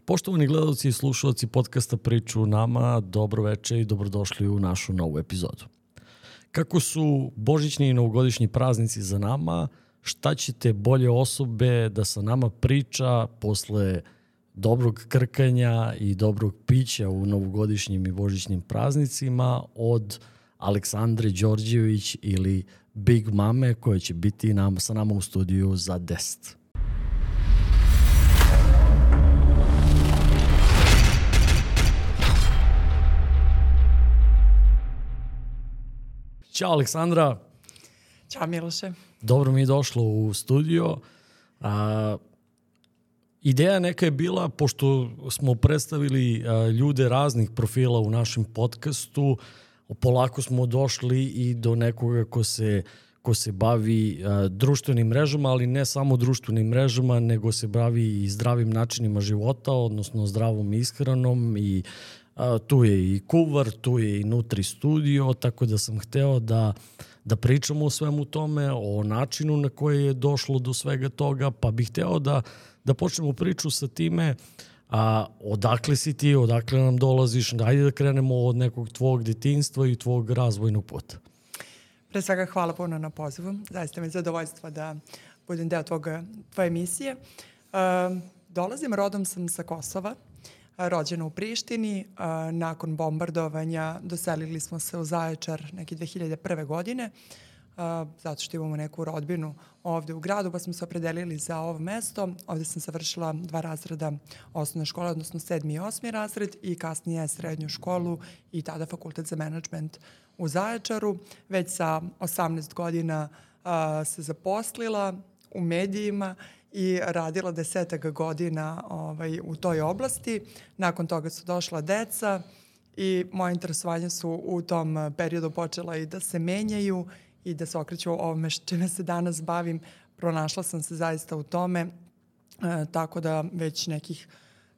Poštovani gledalci i slušalci podcasta Priču nama, dobro veče i dobrodošli u našu novu epizodu. Kako su božićni i novogodišnji praznici za nama, šta ćete bolje osobe da sa nama priča posle dobrog krkanja i dobrog pića u novogodišnjim i božićnim praznicima od Aleksandre Đorđević ili Big Mame koja će biti sa nama u studiju za 10. Ćao Aleksandra. Ćao Miloše. Dobro mi je došlo u studio. Ideja neka je bila, pošto smo predstavili ljude raznih profila u našem podcastu, polako smo došli i do nekoga ko se bavi društvenim mrežama, ali ne samo društvenim mrežama, nego se bavi i zdravim načinima života, odnosno zdravom ishranom i tu je i kuvar, tu je i Nutri Studio, tako da sam hteo da pričamo o svemu tome, o načinu na koji je došlo do svega toga, pa bih hteo da počnemo priču sa time odakle si ti, odakle nam dolaziš, ajde da krenemo od nekog tvog detinjstva i tvog razvojnog puta. Pre svega hvala puno na pozivu, zaista mi je zadovoljstvo da budem deo tvoje emisije. Dolazim, rodom sam sa Kosova, rođena u Prištini. Nakon bombardovanja doselili smo se u Zaječar neke 2001. godine, zato što imamo neku rodbinu ovde u gradu, pa smo se opredelili za ovo mesto. Ovde sam završila 2 razreda osnovne škole, odnosno 7. i 8. razred i kasnije srednju školu i tada fakultet za menadžment u Zaječaru. Već sa 18 godina se zaposlila u medijima i radila 10 godina u toj oblasti. Nakon toga su došla deca i moje interesovanja su u tom periodu počela i da se menjaju i da se okreću ovome čime se danas bavim. Pronašla sam se zaista u tome, tako da već nekih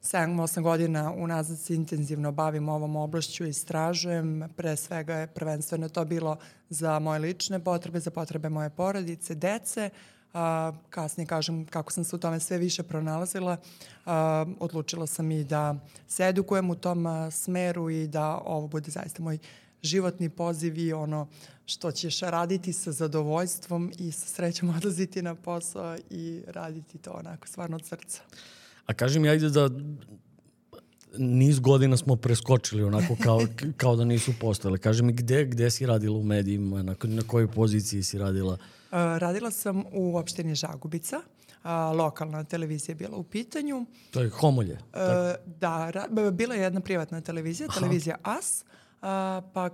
7-8 godina unazad se intenzivno bavim ovom oblašću i istražujem. Pre svega je prvenstveno to bilo za moje lične potrebe, za potrebe moje porodice, dece. Kasnije kažem kako sam se u tome sve više pronalazila. Odlučila sam i da se edukujem u tom smeru i da ovo bude zaista moj životni poziv i ono što ćeš raditi sa zadovoljstvom i sa srećom odlaziti na posao i raditi to onako stvarno od srca. A kaži mi, ajde da niz godina smo preskočili onako kao da nisu postojale. Kaži mi gde si radila u medijima, na kojoj poziciji si radila? Radila sam u opštini Žagubica. Lokalna televizija je bila u pitanju. To je Homolje? Da, bila je jedna privatna televizija, televizija AS, pa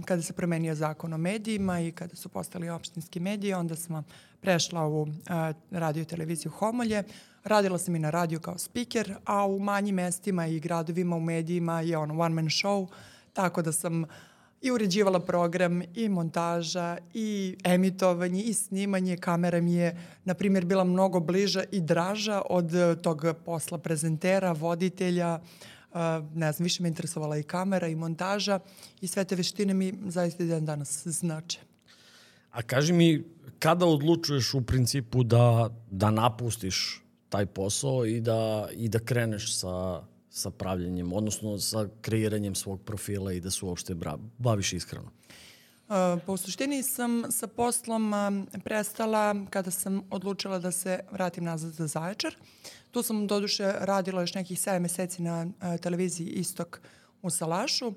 kada se promenio zakon o medijima i kada su postali opštinski mediji, onda sam prešla u radio i televiziju Homolje. Radila sam i na radiju kao speaker, a u manjim mestima i gradovima u medijima je one man show, tako da sam i uređivala program, i montaža, i emitovanje, i snimanje. Kamera mi je, na primjer, bila mnogo bliža i draža od tog posla prezentera, voditelja. Ne znam, više me interesovala i kamera i montaža i sve te veštine mi zaista dan danas znače. A kaži mi, kada odlučuješ u principu da napustiš taj posao i da kreneš sa pravljenjem, odnosno sa kreiranjem svog profila i da se uopšte baviš ishranom? Pa u suštini sam sa poslom prestala kada sam odlučila da se vratim nazad za Zaječar. Tu sam doduše radila još nekih 7 meseci na televiziji Istok u Salašu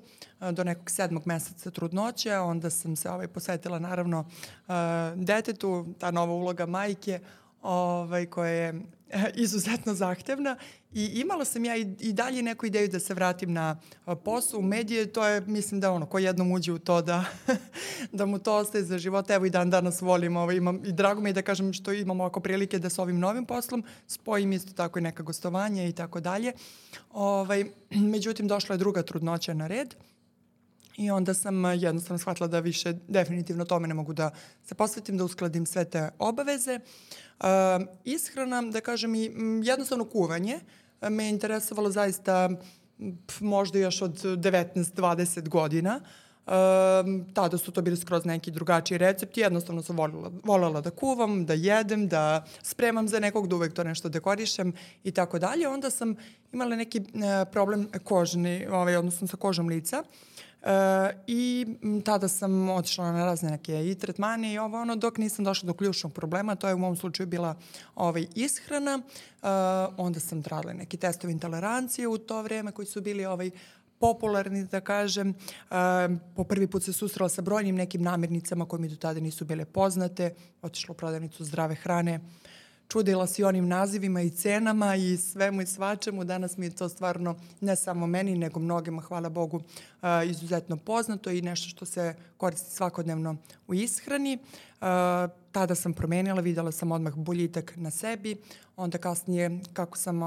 do nekog 7. meseca trudnoće. Onda sam se posvetila naravno detetu, ta nova uloga majke koja je izuzetno zahtevna i imala sam ja i dalje neku ideju da se vratim na posao u medije. To je, mislim da ko jednom uđe u to da mu to ostaje za život. Evo i dan danas volim i drago mi je da kažem što imamo oko prilike da sa ovim novim poslom spojim isto tako i neka gostovanja i tako dalje. Međutim, došla je druga trudnoća na red. I onda sam jednostavno shvatila da više definitivno tome ne mogu da se posvetim, da uskladim sve te obaveze. Ishrana, da kažem i jednostavno kuvanje, me je interesovalo zaista možda još od 19-20 godina. Tada su to bili skroz neki drugačiji recepti, jednostavno sam voljela da kuvam, da jedem, da spremam za nekog, da uvek to nešto dekorišem i tako dalje. Onda sam imala neki problem kožni, odnosno sa kožom lica. I tada sam otišla na razne neke i tretmane i dok nisam došla do ključnog problema, to je u mom slučaju bila ishrana. Onda sam radila neki testovi intolerancije u to vreme koji su bili popularni, da kažem. Po prvi put se susrela sa brojnim nekim namirnicama koje mi do tada nisu bile poznate. Otišla u prodavnicu zdrave hrane. Čudila se i onim nazivima i cenama i svemu i svačemu. Danas mi je to stvarno, ne samo meni, nego mnogima, hvala Bogu, izuzetno poznato i nešto što se koristi svakodnevno u ishrani. Tada sam promenila, videla sam odmah boljitak na sebi. Onda kasnije, kako sam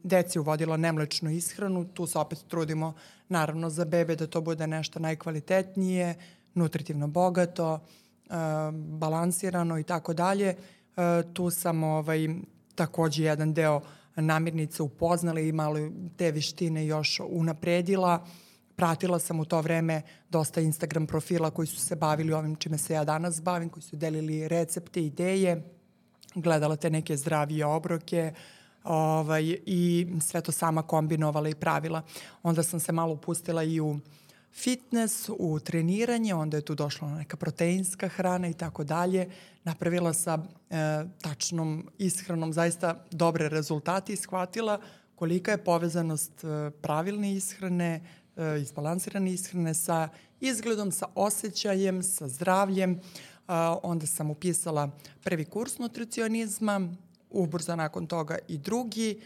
deci uvodila nemlečnu ishranu, tu se opet trudimo, naravno, za bebe da to bude nešto najkvalitetnije, nutritivno bogato, balansirano i tako dalje. Tu sam takođe jedan deo namirnica upoznala i malo te veštine još unapredila. Pratila sam u to vreme dosta Instagram profila koji su se bavili ovim čime se ja danas bavim, koji su delili recepte, ideje, gledala te neke zdravije obroke i sve to sama kombinovala i pravila. Onda sam se malo upustila i u fitness, u treniranje, onda je tu došla neka proteinska hrana i tako dalje. Napravila sa tačnom ishranom zaista dobre rezultate i shvatila kolika je povezanost pravilne ishrane, izbalansirane ishrane sa izgledom, sa osjećajem, sa zdravljem. Onda sam upisala prvi kurs nutricionizma, ubrzo nakon toga i drugi.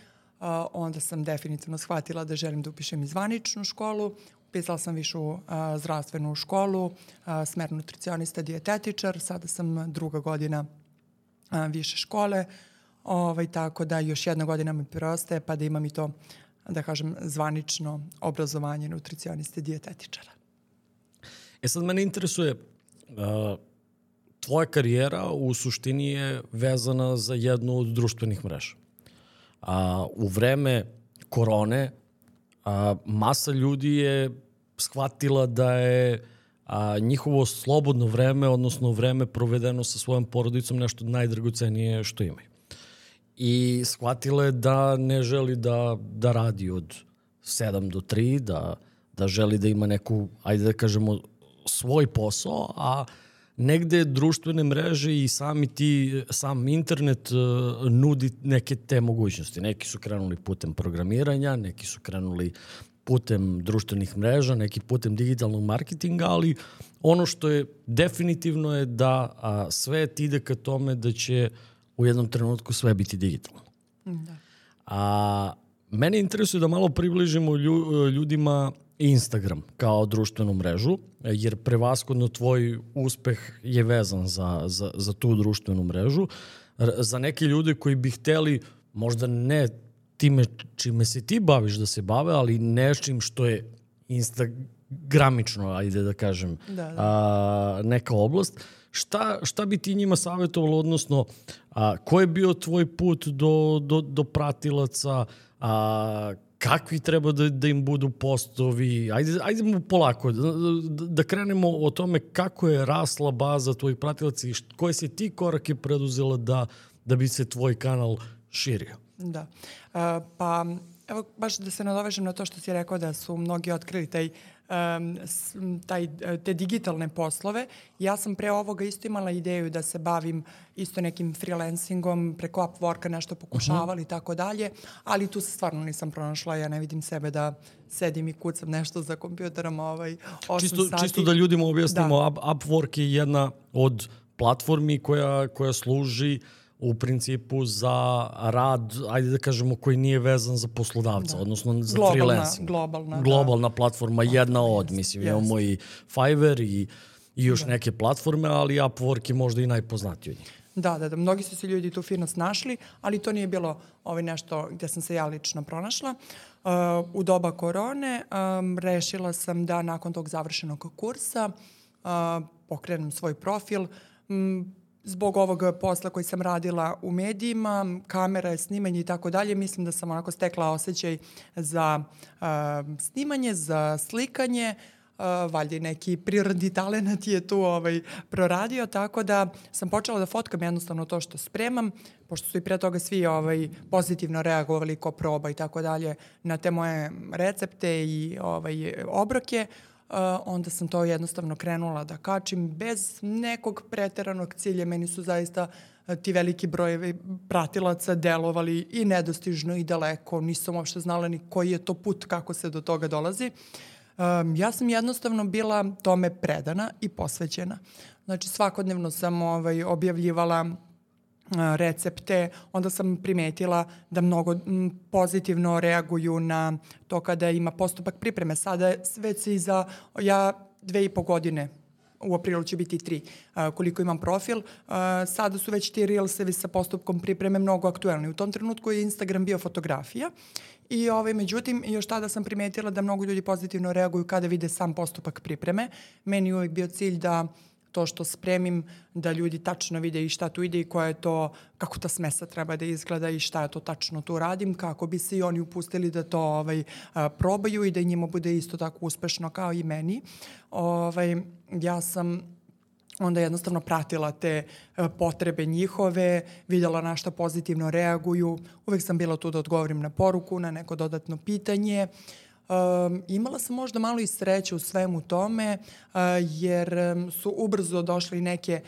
Onda sam definitivno shvatila da želim da upišem i zvaničnu školu. Upisala sam višu zdravstvenu školu, smer nutricionista, dijetetičar. Sada sam 2. godina više škole, tako da još 1 godina mi preostaje pa da imam i to, da kažem, zvanično obrazovanje nutricioniste, dijetetičara. Sad mene interesuje, tvoja karijera u suštini je vezana za jednu od društvenih mreža. U vreme korone masa ljudi je shvatila da je njihovo slobodno vreme, odnosno vreme provedeno sa svojom porodicom, nešto najdragocenije što imaju. I shvatila je da ne želi da radi od 7 do 3, da želi da ima neku, ajde da kažemo, svoj posao, a negde društvene mreže i sam internet nudi neke te mogućnosti. Neki su krenuli putem programiranja, neki su krenuli putem društvenih mreža, neki putem digitalnog marketinga, ali ono što je definitivno je da svet ide ka tome da će u jednom trenutku sve biti digitalno. Da. Mene interesuje da malo približimo ljudima Instagram kao društvenu mrežu, jer prevashodno tvoj uspeh je vezan za tu društvenu mrežu. Za neke ljude koji bi hteli, možda ne time čime se ti baviš da se bave, ali nečim što je instagramično, ajde da kažem, neka oblast. Šta bi ti njima savjetovalo, odnosno ko je bio tvoj put do pratilaca, kakvi treba da im budu postovi? Ajde polako, da krenemo o tome kako je rasla baza tvojih pratilaca i koje si ti korake preduzela da bi se tvoj kanal širio? Da. Pa, evo, baš da se nadovežem na to što si rekao da su mnogi otkrili te digitalne poslove. Ja sam pre ovoga isto imala ideju da se bavim isto nekim freelancingom, preko Upworka nešto pokušavali i tako dalje, ali tu se stvarno nisam pronašla. Ja ne vidim sebe da sedim i kucam nešto za kompjuterom 8 sati. Čisto da ljudima objasnimo, Upwork je jedna od platformi koja služi u principu za rad, ajde da kažemo, koji nije vezan za poslodavca, odnosno za freelancing. Globalna platforma, jedna od, mislim, imamo i Fiverr i još neke platforme, ali Upwork je možda i najpoznatiji od njih. Da, mnogi su se ljudi tu fino snašli, ali to nije bilo nešto gde sam se ja lično pronašla. U doba korone rešila sam da nakon tog završenog kursa pokrenem svoj profil. Zbog ovog posla koji sam radila u medijima, kamera, snimanje i tako dalje, mislim da sam onako stekla osjećaj za snimanje, za slikanje, valjda i neki prirodni talenat je tu proradio, tako da sam počela da fotkam jednostavno to što spremam, pošto su i pre toga svi pozitivno reagovali ko proba i tako dalje na te moje recepte i obroke, onda sam to jednostavno krenula da kačim bez nekog preteranog cilja. Meni su zaista ti veliki brojevi pratilaca delovali i nedostižno i daleko. Nisam uopšte znala ni koji je to put, kako se do toga dolazi. Ja sam jednostavno bila tome predana i posvećena. Znači svakodnevno sam objavljivala recepte, onda sam primetila da mnogo pozitivno reaguju na to kada ima postupak pripreme. Sada već se ja 2,5 godine, u aprilu će biti 3, koliko imam profil, sada su već ti reelsevi sa postupkom pripreme mnogo aktuelni. U tom trenutku je Instagram bio fotografija i međutim još tada sam primetila da mnogo ljudi pozitivno reaguju kada vide sam postupak pripreme. Meni je uvijek bio cilj da to što spremim, da ljudi tačno vide i šta tu ide i koja je to, kako ta smesa treba da izgleda i šta je to tačno tu radim, kako bi se i oni upustili da to probaju i da njima bude isto tako uspešno kao i meni. Ja sam onda jednostavno pratila te potrebe njihove, vidjela na šta pozitivno reaguju. Uvek sam bila tu da odgovorim na poruku, na neko dodatno pitanje. Imala sam možda malo i sreće u svemu tome, jer su ubrzo došli neke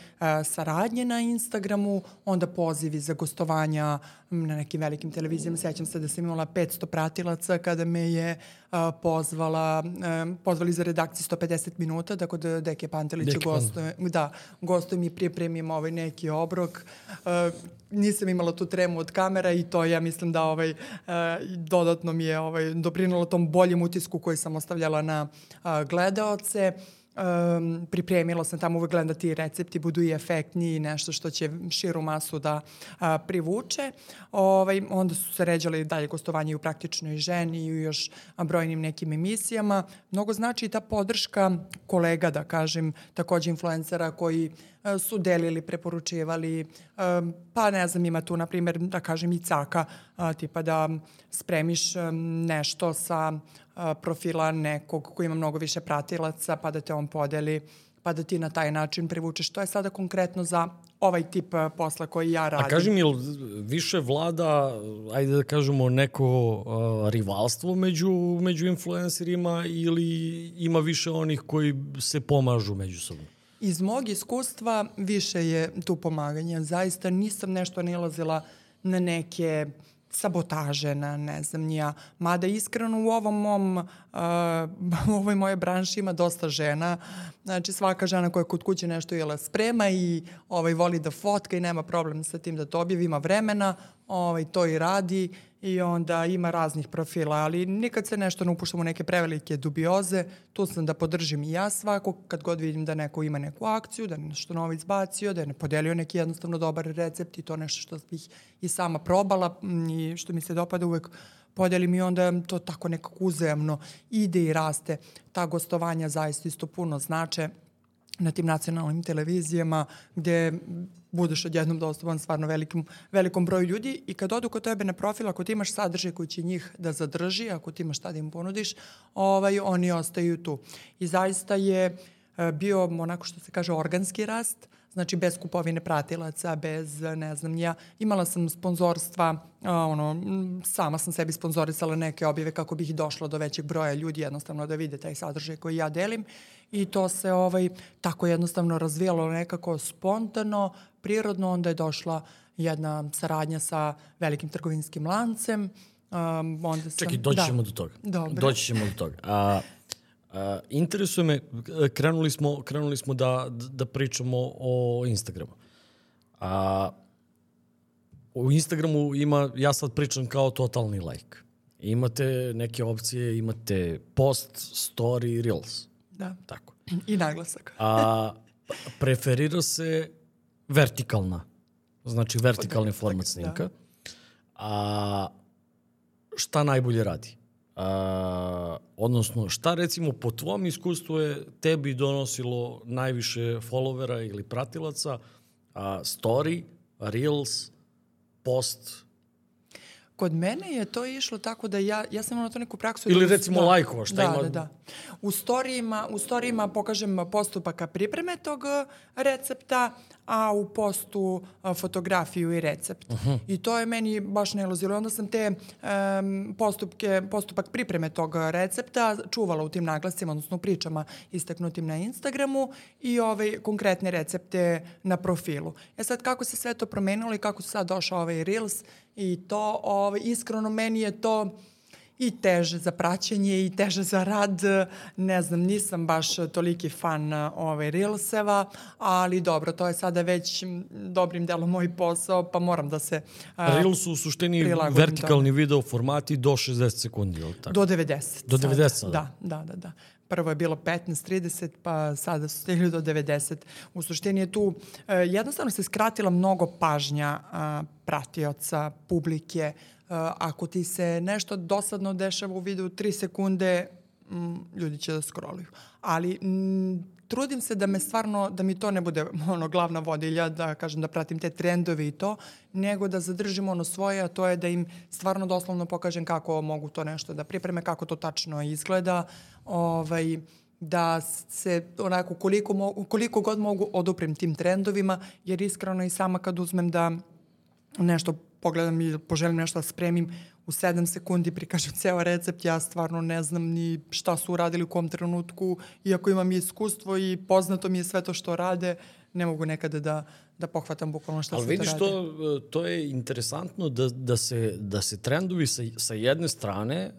saradnje na Instagramu, onda pozivi za gostovanja na nekim velikim televizijama. Sjećam se da sam imala 500 pratilaca kada me je pozvali za redakciju 150 minuta, tako da Deke Pantelić gostujem i pripremim neki obrok. Nisam imala tu tremu od kamera i to ja mislim da dodatno mi je doprinalo tom boljem utisku koji sam ostavljala na gledaoce. Pripremila sam tamo, uvek gledam da ti recepti budu i efektniji i nešto što će širu masu da privuče. Onda su se ređali dalje gostovanje i u Praktičnoj ženi i u još brojnim nekim emisijama. Mnogo znači i ta podrška kolega, da kažem, takođe influencera koji su delili, preporučivali, pa ne znam, ima tu, na primjer, da kažem i caka, tipa da spremiš nešto sa profila nekog koji ima mnogo više pratilaca, pa da te on podeli, pa da ti na taj način privučeš. To je sada konkretno za ovaj tip posla koji ja radim. A kaži mi, više vlada, ajde da kažemo, neko rivalstvo među influencerima ili ima više onih koji se pomažu međusobno? Iz mog iskustva više je tu pomaganja. Zaista nisam nešto nalazila na neke sabotaže, na ne znam nija. Mada iskreno u u ovoj moje branši ima dosta žena. Znači svaka žena koja kod kuće nešto sprema i voli da fotka i nema problem sa tim da to objavi, ima vremena, to i radi i onda ima raznih profila, ali nikad se nešto ne upuštam u neke prevelike dubioze. Tu sam da podržim i ja svako, kad god vidim da neko ima neku akciju, da je nešto novo izbacio, da je podelio neki jednostavno dobar recept i to nešto što bih i sama probala i što mi se dopada, uvek podelim i onda to tako nekako uzajamno ide i raste. Ta gostovanja zaista isto puno znače na tim nacionalnim televizijama gde budeš odjednom dostupan stvarno velikom broju ljudi i kad odu kod tebe na profil, ako ti imaš sadržaj koji će njih da zadrži, ako ti imaš šta da im ponudiš, oni ostaju tu. I zaista je bio onako što se kaže organski rast, znači bez kupovine pratilaca, bez ne znam ja. Imala sam sponzorstva, sama sam sebi sponzorisala neke objave kako bih došla do većeg broja ljudi, jednostavno da vide taj sadržaj koji ja delim i to se tako jednostavno razvijalo nekako spontano, prirodno, onda je došla jedna saradnja sa velikim trgovinskim lancem. Čekaj, doći ćemo do toga. Dobre. Doći ćemo do toga. Interesuje me, krenuli smo da pričamo o Instagramu. U Instagramu ima, ja sad pričam kao totalni like. Imate neke opcije, imate post, story, reels. Da. Tako. I naglasak. Preferira se vertikalna, znači vertikalni format snimka. Da. Šta najbolje radi? Odnosno, šta recimo po tvom iskustvu je tebi donosilo najviše followera ili pratilaca? Story, reels, post? Kod mene je to išlo tako da ja sam imala to neku praksu. Ili recimo lajkova, šta ima? Da. U storijima pokažem postupaka pripreme tog recepta, a u postu fotografiju i recept. I to je meni baš nailazilo. Onda sam te postupak pripreme tog recepta čuvala u tim naglascima, odnosno u pričama istaknutim na Instagramu i konkretne recepte na profilu. Sad kako se sve to promenilo i kako su sad došao Reels i to, iskreno meni je to i teže za praćenje i teže za rad. Ne znam, nisam baš toliki fan Reelseva, ali dobro, to je sada već dobrim delom moj posao, pa moram da se Reels u suštini vertikalni video formati do 60 sekundi, ili tako? Do 90. Do 90 sada? Da. Prvo je bilo 15-30, pa sada su stigli do 90. U suštini je tu jednostavno se skratila mnogo pažnja pratioca, publike. Ako ti se nešto dosadno dešava u videu 3 sekunde, ljudi će da scrolluju. Ali trudim se da mi to ne bude glavna vodilja, da kažem da pratim te trendove i to, nego da zadržim svoje, a to je da im stvarno doslovno pokažem kako mogu to nešto da pripreme, kako to tačno izgleda, da se onako koliko god mogu oduprem tim trendovima, jer iskreno i sama kad uzmem da nešto pogledam i poželim nešto da spremim, u 7 sekundi prikažem ceo recept, ja stvarno ne znam ni šta su uradili u kom trenutku, iako imam iskustvo i poznato mi je sve to što rade, ne mogu nekada da pohvatam bukvalno šta se to radi. Ali vidiš, to je interesantno da se trendovi sa jedne strane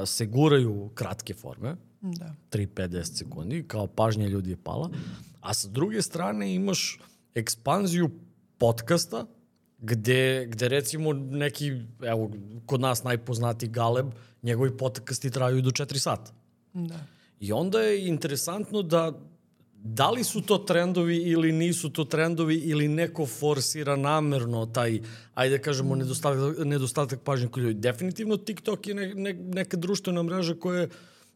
se guraju kratke forme, 3-5-10 sekundi, kao pažnja ljudi je pala, a sa druge strane imaš ekspanziju podcasta, gde recimo neki, evo, kod nas najpoznatiji Galeb, njegovi podcasti traju do 4 sata. Da. I onda je interesantno da li su to trendovi ili nisu to trendovi ili neko forsira namerno taj, ajde kažemo, nedostatak pažnje kod ljudi. Definitivno TikTok je neka društvena mreža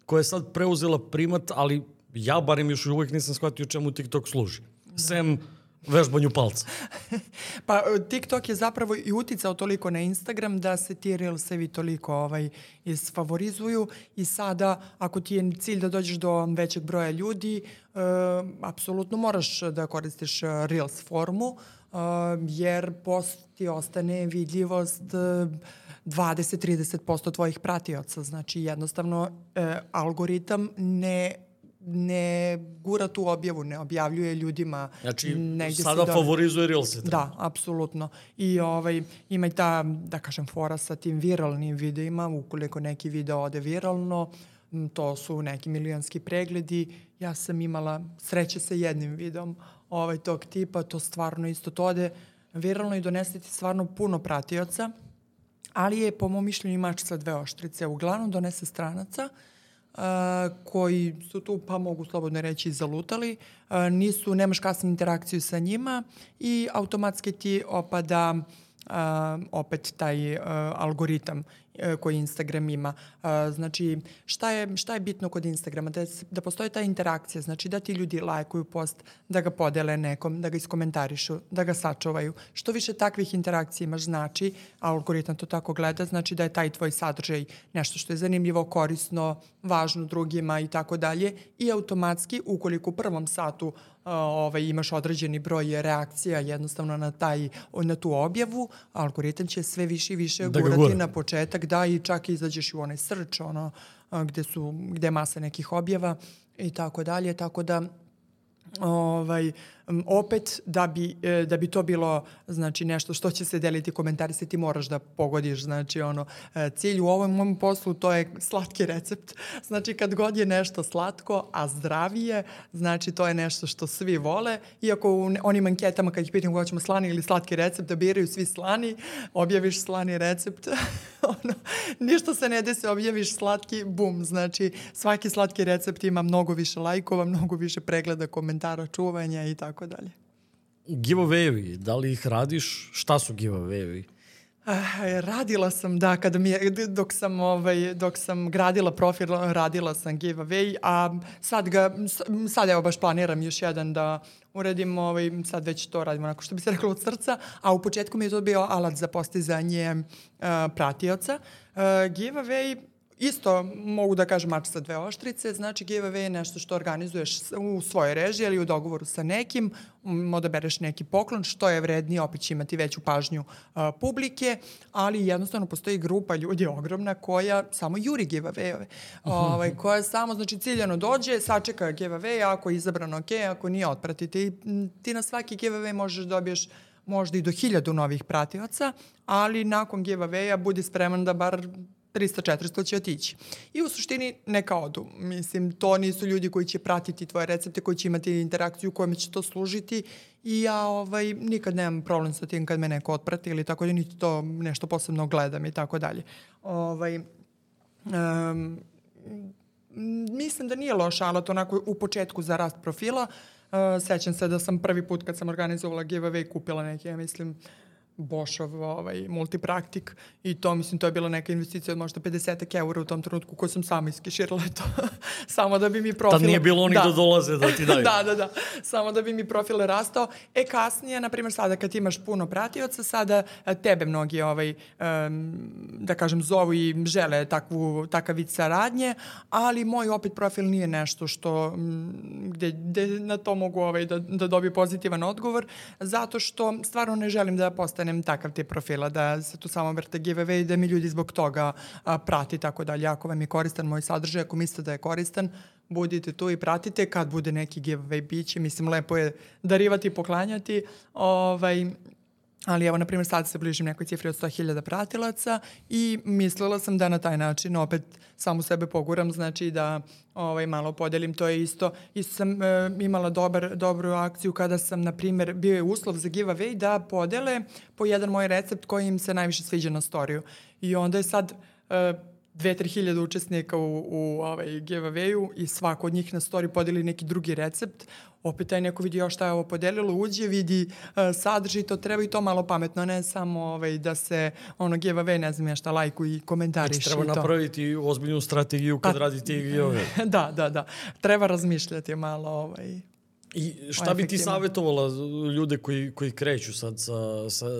koja je sad preuzela primat, ali ja barem još uvijek nisam shvatio čemu TikTok služi. Sem vežbanju palca. Pa TikTok je zapravo i uticao toliko na Instagram da se ti Reelsevi toliko isfavorizuju i sada ako ti je cilj da dođeš do većeg broja ljudi, apsolutno moraš da koristiš Reels formu, jer post ti ostane vidljivost 20-30% tvojih pratioca. Znači jednostavno algoritam ne gura tu objavu, ne objavljuje ljudima. Znači, sada favorizuje Reelse. Da, apsolutno. I ima i ta, da kažem, fora sa tim viralnim videima. Ukoliko neki video ode viralno, to su neki milionski pregledi. Ja sam imala sreće sa jednim videom tog tipa. To stvarno isto to ode viralno i donese ti stvarno puno pratioca. Ali je, po mom mišljenju, mač sa dve oštrice. Uglavnom donese stranaca koji su tu, pa mogu slobodno reći, zalutali. Nemaš kasniju interakciju sa njima i automatski ti opada opet taj algoritam koji Instagram ima. Znači, šta je bitno kod Instagrama? Da postoji ta interakcija, znači da ti ljudi lajkuju post, da ga podele nekom, da ga iskomentarišu, da ga sačuvaju. Što više takvih interakcija imaš, znači, algoritam to tako gleda, znači da je taj tvoj sadržaj nešto što je zanimljivo, korisno, važno drugima i tako dalje. I automatski, ukoliko u prvom satu imaš određeni broj reakcija jednostavno na tu objavu, algoritam će sve više i više gurati na početak, da i čak izađeš u onaj search, gde je masa nekih objava i tako dalje, tako da opet da bi to bilo, znači, nešto što će se deliti, komentarisati, ti moraš da pogodiš, znači, cilj u ovom mom poslu, to je slatki recept. Znači, kad god je nešto slatko, a zdravije, znači, to je nešto što svi vole. Iako u onim anketama kad ih pitam kako ćemo slani ili slatki recept, da biraju svi slani, objaviš slani recept, ništa se ne desi, objaviš slatki, bum, znači, svaki slatki recept ima mnogo više lajkova, mnogo više pregleda, komentara, čuvanja i tako dalje. Giveaway-evi, da li ih radiš? Šta su giveaway-evi? Radila sam, da, dok sam gradila profil, radila sam giveaway, a sad evo baš planiram još jedan da uradim, sad već to radim onako što bi se reklo od srca, a u početku mi je to bio alat za postizanje pratioca. Giveaway, isto mogu da kažem mač sa dve oštrice, znači giveaway je nešto što organizuješ u svojoj režiji ili u dogovoru sa nekim, odabereš neki poklon, što je vrednije, opet će imati veću pažnju publike, ali jednostavno postoji grupa ljudi ogromna koja samo juri giveaway-ove, koja samo, znači ciljano dođe, sačeka giveaway, ako je izabrano ok, ako nije otpratite i ti na svaki giveaway možeš dobiješ možda i do 1000 novih pratioca, ali nakon giveaway-a budi spreman da bar 300-400 će otići. I u suštini neka odu. Mislim, to nisu ljudi koji će pratiti tvoje recepte, koji će imati interakciju u kojima će to služiti i ja nikad nemam problem sa tim kad me neko otprati ili tako da niti to nešto posebno gledam i tako dalje. Mislim da nije loš alat onako u početku za rast profila. Sećam se da sam prvi put kad sam organizovala giveaway kupila neki, ja mislim, Boschov multipraktik i to, mislim, to je bila neka investicija od možda 50 € u tom trenutku koju sam sama iskeširala to. Samo da bi mi profil... Tad nije bilo onih da dolaze da ti daju. Da. Samo da bi mi profil rastao. Kasnije, na primjer, sada kad imaš puno pratioca, sada tebe mnogi, da kažem, zovu i žele takav vid saradnje, ali moj opet profil nije nešto što, gde na to mogu da dobiju pozitivan odgovor, zato što stvarno ne želim da postanem takav tip profila, da se tu samo vrte giveaway i da mi ljudi zbog toga prati, tako dalje. Ako vam je koristan moj sadržaj, ako mislite da je koristan, budite tu i pratite. Kad bude neki giveaway, biće, mislim, lepo je darivati i poklanjati, ali evo, na primjer, sad se bližim nekoj cifri od 100.000 pratilaca i mislila sam da na taj način opet samu sebe poguram, znači da malo podelim. To je isto sam imala dobru akciju kada sam, na primjer, bio je uslov za giveaway da podele po jedan moj recept koji im se najviše sviđa na storiju. I onda je sad 2-3 hiljade učesnika u giveawayu i svako od njih na story podeli neki drugi recept. Opet taj neko vidi šta je ovo podelilo, uđe, vidi sadržaj, to treba i to malo pametno, ne samo da se giveaway, ne znam ja šta, lajku i komentariš. Znači, treba napraviti ozbiljnu strategiju kad radite giveaway. Da. Treba razmišljati malo. I šta bi ti savjetovala ljude koji kreću sad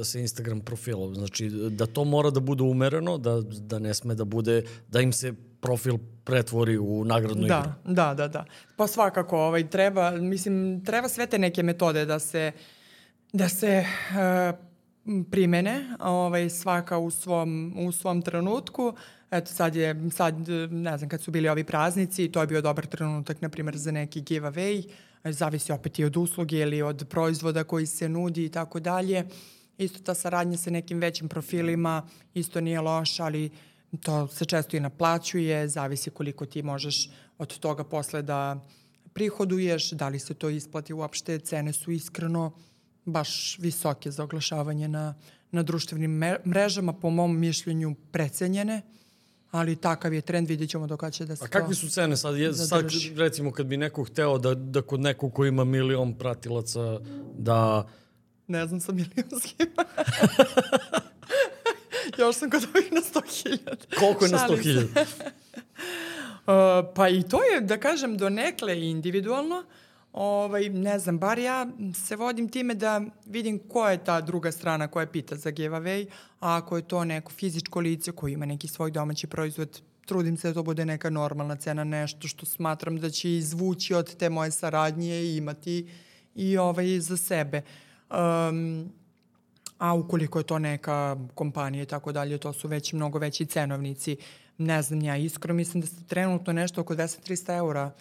sa Instagram profilom? Znači, da to mora da bude umereno, da ne sme da bude, da im se profil pretvori u nagradnu igru. Da. Pa svakako, treba sve te neke metode da se primene, svaka u svom trenutku. Eto, sad, ne znam, kad su bili ovi praznici, to je bio dobar trenutak, na primjer, za neki giveaway. Zavisi opet i od usluge ili od proizvoda koji se nudi i tako dalje. Isto ta saradnja sa nekim većim profilima isto nije loša, ali to se često i naplaćuje, zavisi koliko ti možeš od toga posle da prihoduješ, da li se to isplati uopšte, cene su iskreno baš visoke za oglašavanje na društvenim mrežama, po mom mišljenju precenjene, ali takav je trend, vidjet ćemo dok će da se to zadrži. A kakve su cene sad? Sad recimo kad bi neko hteo da kod nekog ko ima 1.000.000 pratilaca da... Ne znam sa milionskima. Još sam kod ovih na 100.000. Koliko je na 100.000? Pa i to je, da kažem, donekle individualno. Ne znam, bar ja se vodim time da vidim ko je ta druga strana koja pita za giveaway, a ako je to neko fizičko lice koji ima neki svoj domaći proizvod, trudim se da to bude neka normalna cena, nešto što smatram da će izvući od te moje saradnje i imati i za sebe. A ukoliko je to neka kompanija i tako dalje, to su već mnogo veći cenovnici. Ne znam, ja iskreno mislim da se trenutno nešto oko 200-300 eura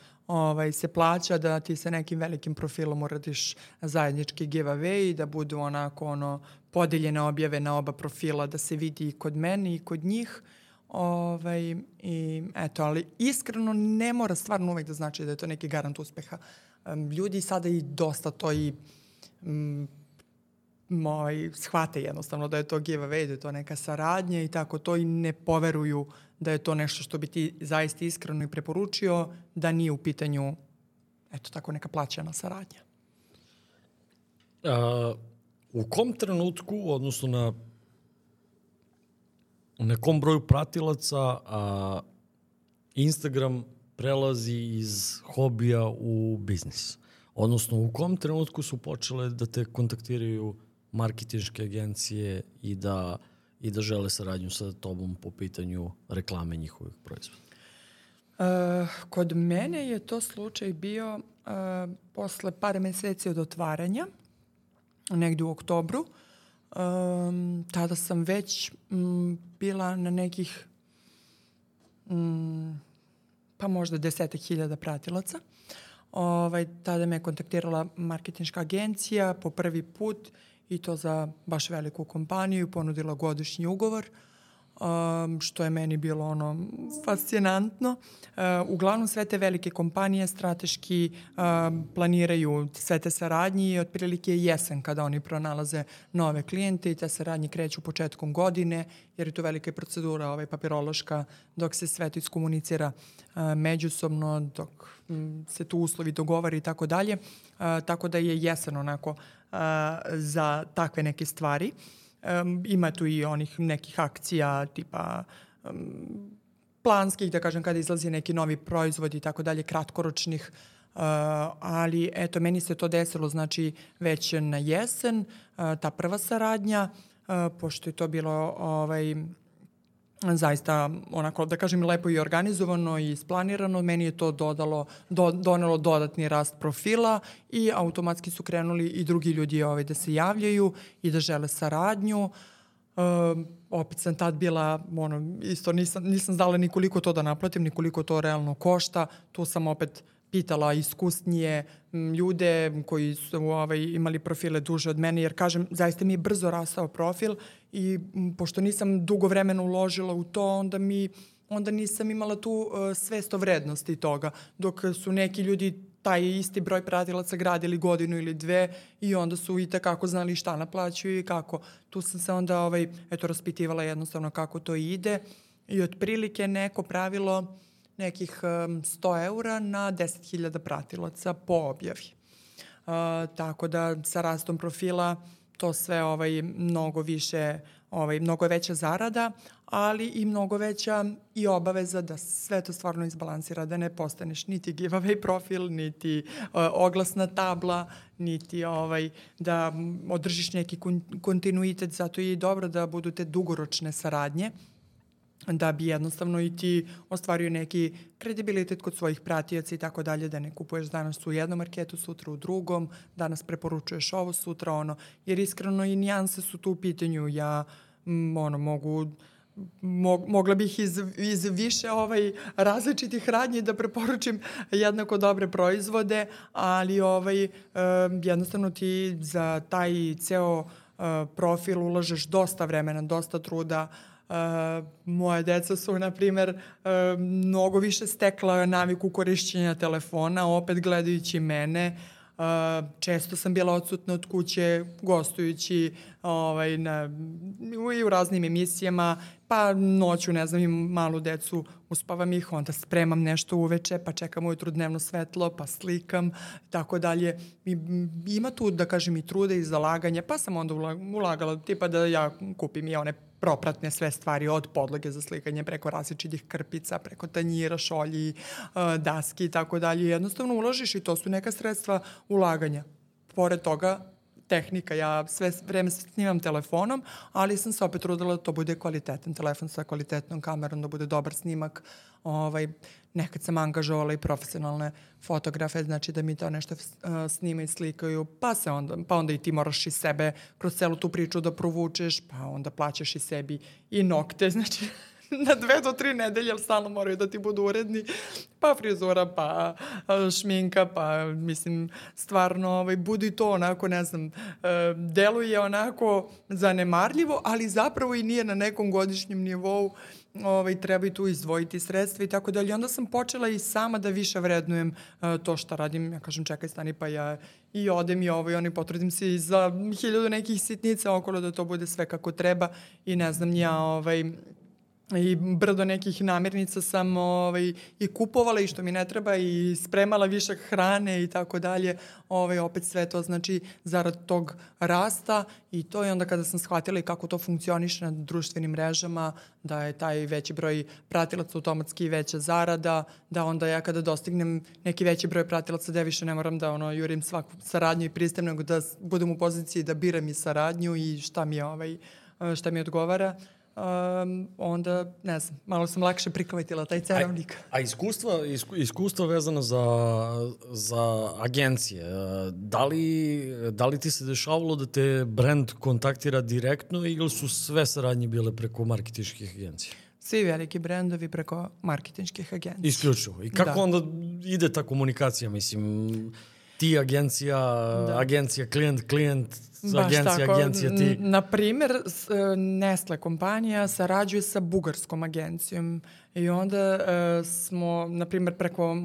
se plaća da ti sa nekim velikim profilom uradiš zajednički giveaway i da budu onako podeljene objave na oba profila, da se vidi i kod mene i kod njih. I eto, ali iskreno ne mora stvarno uvek da znači da je to neki garant uspeha. Ljudi sada i dosta to i shvate jednostavno da je to giveaway, da je to neka saradnja i tako to i ne poveruju da je to nešto što bi ti zaista iskreno i preporučio, da nije u pitanju eto tako neka plaćena saradnja. U kom trenutku, odnosno na kom broju pratilaca Instagram prelazi iz hobija u biznis? Odnosno, u kom trenutku su počele da te kontaktiraju marketinške agencije i da žele saradnju sa tobom po pitanju reklame njihovih proizvoda? Kod mene je to slučaj bio posle par meseci od otvaranja, negdje u oktobru. Tada sam već bila na nekih pa možda 10.000 pratilaca. Tada me je kontaktirala marketinška agencija po prvi put i to za baš veliku kompaniju, ponudila godišnji ugovor, što je meni bilo fascinantno. Uglavnom sve te velike kompanije strateški planiraju sve te saradnje i otprilike je jesen kada oni pronalaze nove klijente i te saradnje kreću početkom godine, jer je to velika procedura papirološka dok se sve to iskomunicira međusobno, dok se tu uslovi dogovori i tako dalje. Tako da je jesen onako za takve neke stvari. Ima tu i onih nekih akcija tipa planskih, da kažem, kada izlazi neki novi proizvod i tako dalje, kratkoročnih, ali eto, meni se to desilo, znači, već na jesen, ta prva saradnja, pošto je to bilo zaista onako, da kažem, lepo i organizovano i isplanirano, meni je to donelo dodatni rast profila i automatski su krenuli i drugi ljudi da se javljaju i da žele saradnju. Opet sam tad bila, isto nisam znala ni koliko to da naplatim, ni koliko to realno košta. Tu sam opet pitala iskusnije ljude koji su imali profile duže od mene, jer kažem, zaista mi je brzo rastao profil i pošto nisam dugo vremena uložila u to, onda nisam imala tu svest o vrednosti toga, dok su neki ljudi taj isti broj pratilaca gradili godinu ili dve i onda su i tekako znali šta naplaćuju i kako. Tu sam se onda raspitivala jednostavno kako to ide i otprilike neko pravilo nekih 100 eura na 10.000 pratilaca po objavi. Tako da sa rastom profila to sve mnogo više, mnogo veća zarada, ali i mnogo veća i obaveza da sve to stvarno izbalansira, da ne postaneš niti giveaway profil, niti oglasna tabla, niti da održiš neki kontinuitet, zato je i dobro da budu te dugoročne saradnje, da bi jednostavno i ti ostvario neki kredibilitet kod svojih pratioca i tako dalje, da ne kupuješ danas u jednom marketu, sutra u drugom, danas preporučuješ ovo, sutra ono, jer iskreno i nijanse su tu u pitanju. Ja mogla bih iz više različitih radnji da preporučim jednako dobre proizvode, ali jednostavno ti za taj ceo profil ulažeš dosta vremena, dosta truda. Moje deca su, na primer, mnogo više stekla naviku korišćenja telefona, opet gledajući mene. Često sam bila odsutna od kuće, gostujući i u raznim emisijama, pa noću, ne znam, imam malu decu, uspavam ih, onda spremam nešto uveče, pa čekam ujutru dnevno svetlo, pa slikam, tako dalje. Ima tu, da kažem, i truda i zalaganja, pa sam onda ulagala, tipa da ja kupim i one propratne sve stvari, od podloge za slikanje preko različitih krpica, preko tanjira, šolji, daski i tako dalje. Jednostavno uložiš i to su neka sredstva ulaganja. Pored toga, tehnika, ja sve vreme snimam telefonom, ali sam se opet trudila da to bude kvalitetan telefon sa kvalitetnom kamerom, da bude dobar snimak. Nekad sam angažovala i profesionalne fotografe, znači da mi to nešto snima i slikaju, pa onda i ti moraš i sebe kroz celu tu priču da provučeš, pa onda plaćaš i sebi i nokte, znači na 2 do 3 nedelje, ali stalno moraju da ti budu uredni, pa frizura, pa šminka, pa mislim, stvarno, budi to onako, ne znam, deluje onako zanemarljivo, ali zapravo i nije na nekom godišnjem nivou, treba i tu izdvojiti sredstva i tako dalje. Onda sam počela i sama da više vrednujem to što radim. Ja kažem, čekaj, stani, pa ja i odem i i potrudim se i za 1000 nekih sitnica okolo da to bude sve kako treba i ne znam, ja i brdo nekih namirnica sam i kupovala i što mi ne treba i spremala višak hrane i tako dalje. Opet sve to znači zarad tog rasta i to je onda kada sam shvatila i kako to funkcioniše na društvenim mrežama, da je taj veći broj pratilaca automatski veća zarada, da onda ja kada dostignem neki veći broj pratilaca da više ne moram da jurim svaku saradnju i pristajem, nego da budem u poziciji da biram i saradnju i šta mi odgovara. Onda, ne znam, malo sam lakše prihvatila taj cenovnik. A iskustva vezana za agencije, da li ti se dešavalo da te brand kontaktira direktno ili su sve saradnje bile preko marketinških agencija? Svi veliki brendovi preko marketinških agencija. Isključivo. I kako onda ide ta komunikacija? Mislim, ti agencija, klijent, agencija ti. Naprimer, Nestle kompanija sarađuje sa bugarskom agencijom i onda smo, naprimer, preko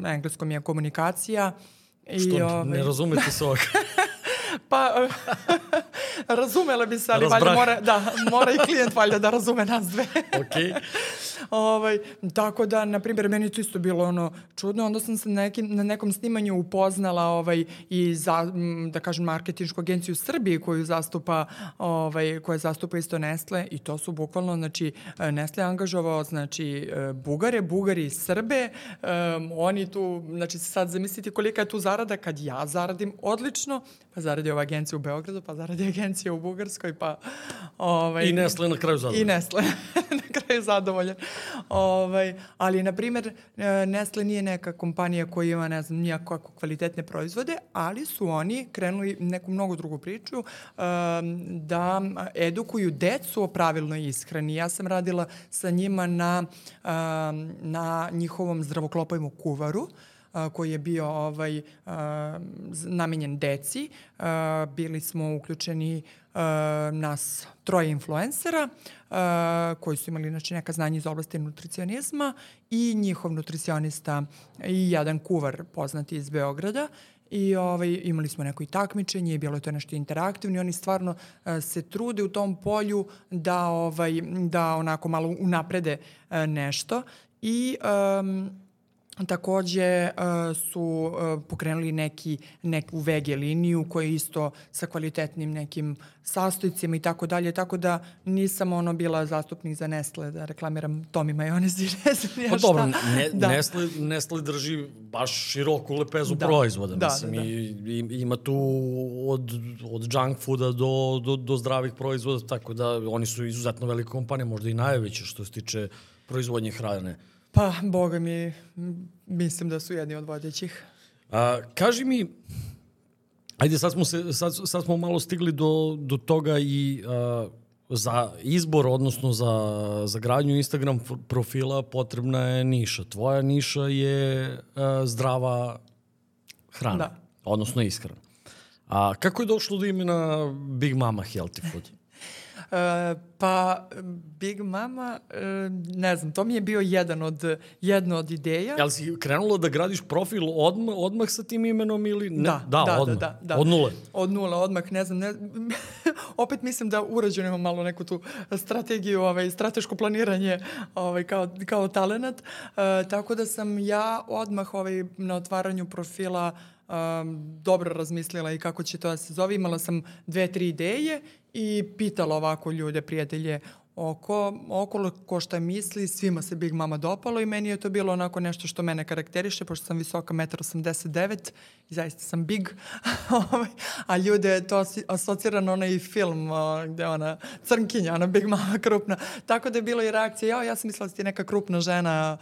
engleskom je komunikacija. Što ne razumete se ovak? Pa, razumela bi se, ali valjda mora i klijent valjda da razume nas dve. Okej. Tako da, na primjer, meni to isto bilo čudno. Onda sam se na nekom snimanju upoznala i da kažem marketinšku agenciju Srbije koja zastupa isto Nestle i to su bukvalno, znači, Nestle angažovao, znači, Bugari, Srbe. Oni tu, znači, sad zamislite kolika je tu zarada kad ja zaradim odlično, pa zaradi ova agencija u Beogradu, pa zaradi agencija u Bugarskoj, pa... I Nestle na kraju zadovoljan. I Nestle na kraju zadovoljan. Ali, na primjer, Nestle nije neka kompanija koja ima, ne znam, nijako kvalitetne proizvode, ali su oni krenuli neku mnogo drugu priču da edukuju decu o pravilnoj ishrani. Ja sam radila sa njima na njihovom zdravoklopovom kuvaru, koji je bio namenjen deci. Bili smo uključeni nas 3 influencera koji su imali neka znanja iz oblasti nutricionizma i njihov nutricionista i jedan kuvar poznati iz Beograda. I imali smo neko i takmičenje i bilo je to nešto interaktivno i oni stvarno se trude u tom polju da onako malo unaprede nešto i takođe su pokrenuli neku VG liniju koja je isto sa kvalitetnim nekim sastojcima i tako dalje, tako da nisam bila zastupnik za Nestle da reklamiram Tomi majonez i ne znam ja šta. Pa dobro, Nestle drži baš široku lepezu proizvoda. Ima tu od junk fooda do zdravih proizvoda, tako da oni su izuzetno velika kompanija, možda i najveća što se tiče proizvodnje hrane. Pa, boga mi, mislim da su jedni od vodećih. Kaži mi, ajde sad smo malo stigli do toga i za izbor, odnosno za gradnju Instagram profila potrebna je niša. Tvoja niša je zdrava hrana, odnosno ishrana. Kako je došlo do imena Big Mama Healthy Food? Pa, Big Mama, ne znam, to mi je bio jedna od ideja. Jel si krenula da gradiš profil odmah sa tim imenom ili ne? Da. Od nule? Od nule, odmah, ne znam. Opet mislim da urađeno imam malo neku tu strategiju, strateško planiranje kao talenat. Tako da sam ja odmah na otvaranju profila dobro razmislila i kako će to da se zove. Imala sam 2-3 ideje i pitala ovako ljude, prijatelje okolo ko šta misli, svima se Big Mama dopalo i meni je to bilo onako nešto što mene karakteriše, pošto sam visoka 1,89 m i zaista sam big, a ljude to asocira na onaj film gde ona crnkinja, ona Big Mama krupna, tako da je bilo i reakcija, ja sam mislila da si ti neka krupna žena,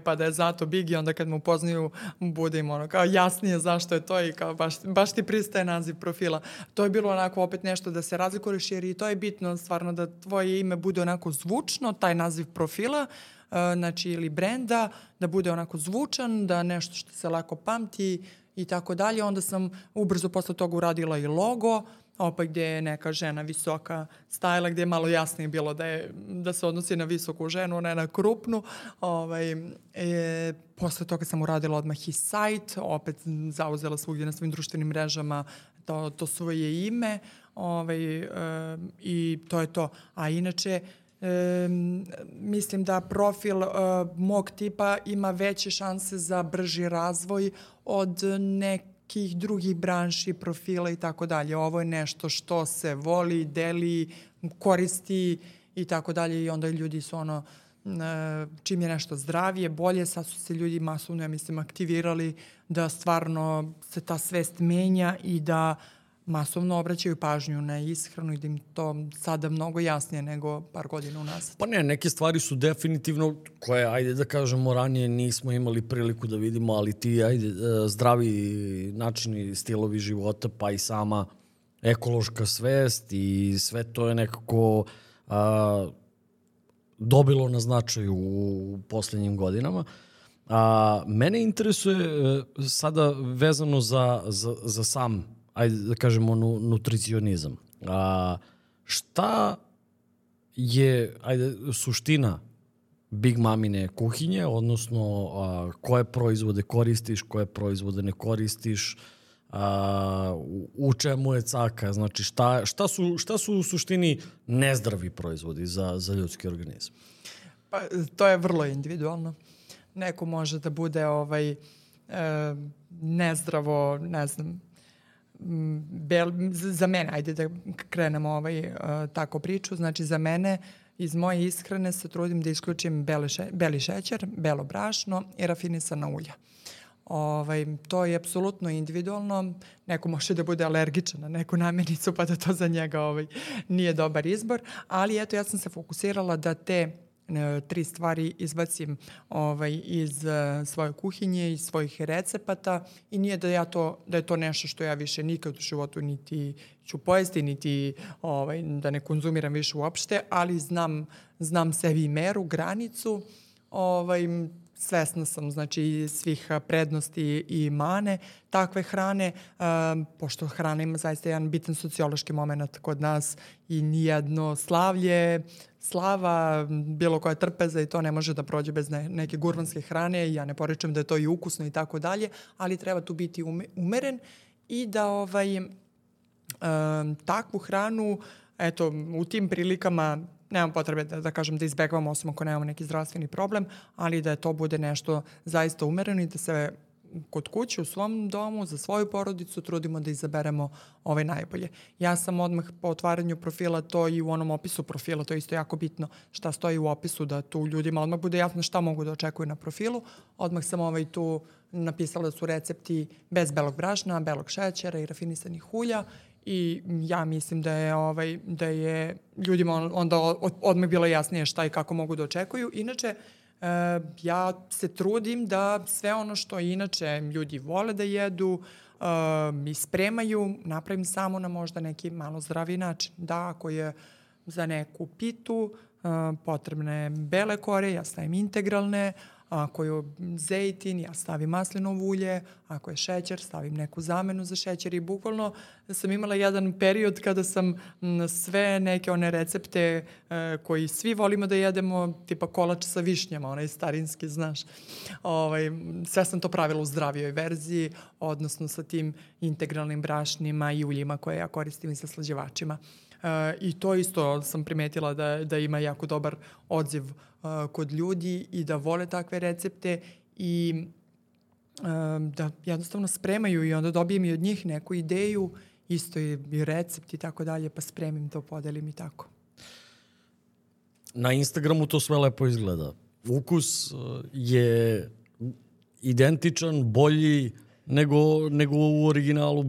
pa da je zato big i onda kad me upoznaju bude im kao jasnije zašto je to i kao baš ti pristaje naziv profila. To je bilo onako opet nešto da se razlikuješ jer i to je bitno stvarno da tvoje ime bude onako zvučno, taj naziv profila, znači ili brenda, da bude onako zvučan, da nešto što se lako pamti i tako dalje. Onda sam ubrzo posle toga uradila i logo, opet gdje je neka žena visoka stajala, gdje je malo jasnije bilo da se odnosi na visoku ženu, ne na krupnu. Posle toga sam uradila odmah i sajt, opet zauzela svugdje na svim društvenim mrežama to svoje ime. I to je to. A inače, Mislim da profil mog tipa ima veće šanse za brži razvoj od nekih drugih branši, profila i tako dalje. Ovo je nešto što se voli, deli, koristi i tako dalje i onda ljudi su čim je nešto zdravije, bolje, sad su se ljudi masovno, ja mislim, aktivirali da stvarno se ta svest menja i da masovno obraćaju pažnju na ishranu i da im to sada mnogo jasnije nego par godina unazad. Pa ne, neke stvari su definitivno koje, ajde da kažemo, ranije nismo imali priliku da vidimo, ali ti, zdravi načini, stilovi života, pa i sama ekološka svest i sve to je nekako dobilo na značaju u poslednjim godinama. Mene interesuje sada vezano za sam, ajde da kažemo, nutricionizam. Šta je suština Big Mamine kuhinje, odnosno koje proizvode koristiš, koje proizvode ne koristiš, u čemu je caka, znači šta su u suštini nezdravi proizvodi za ljudski organizam? Pa, to je vrlo individualno. Neko može da bude nezdravo, ne znam, za mene, ajde da krenemo tako priču, znači za mene iz moje ishrane se trudim da isključim beli šećer, belo brašno i rafinisana ulja. To je apsolutno individualno. Neko može da bude alergičan na neku namirnicu pa da to za njega nije dobar izbor, ali eto ja sam se fokusirala da te 3 stvari izbacim iz svoje kuhinje, iz svojih recepata i nije da je to nešto što ja više nikad u životu niti ću pojesti, niti da ne konzumiram više uopšte, ali znam sebi meru, granicu, svesna sam znači svih prednosti i mane takve hrane, pošto hrana ima zaista jedan bitan sociološki moment kod nas i nijedno slava, bilo koja trpeza i to ne može da prođe bez neke gurmanske hrane. Ja ne poričem da je to i ukusno i tako dalje, ali treba tu biti umeren i da takvu hranu, eto, u tim prilikama nemam potrebe da kažem da izbegavamo, osim ako nemamo neki zdravstveni problem, ali da to bude nešto zaista umereno i da se kod kuće, u svom domu, za svoju porodicu trudimo da izaberemo najbolje. Ja sam odmah po otvaranju profila, to i u onom opisu profila, to je isto jako bitno šta stoji u opisu, da tu ljudima odmah bude jasno šta mogu da očekuju na profilu. Odmah sam tu napisala da su recepti bez belog brašna, belog šećera i rafinisanih ulja i ja mislim da je ljudima onda odmah bilo jasnije šta i kako mogu da očekuju. Inače, ja se trudim da sve ono što inače ljudi vole da jedu i spremaju, napravim samo na možda neki malo zdraviji način. Da, ako je za neku pitu potrebne bele kore, ja stavim integralne, ako je zejtin, ja stavim maslinovo ulje, ako je šećer, stavim neku zamenu za šećer i bukvalno sam imala jedan period kada sam sve neke one recepte koji svi volimo da jedemo, tipa kolač sa višnjama, onaj starinski, znaš. Sve sam to pravila u zdravijoj verziji, odnosno sa tim integralnim brašnima i uljima koje ja koristim i sa slađivačima. I to isto sam primetila da ima jako dobar odziv kod ljudi i da vole takve recepte i da jednostavno spremaju i onda dobijem i od njih neku ideju, isto i recept i tako dalje, pa spremim to, podelim i tako. Na Instagramu to sve lepo izgleda. Ukus je identičan, bolji nego u originalu?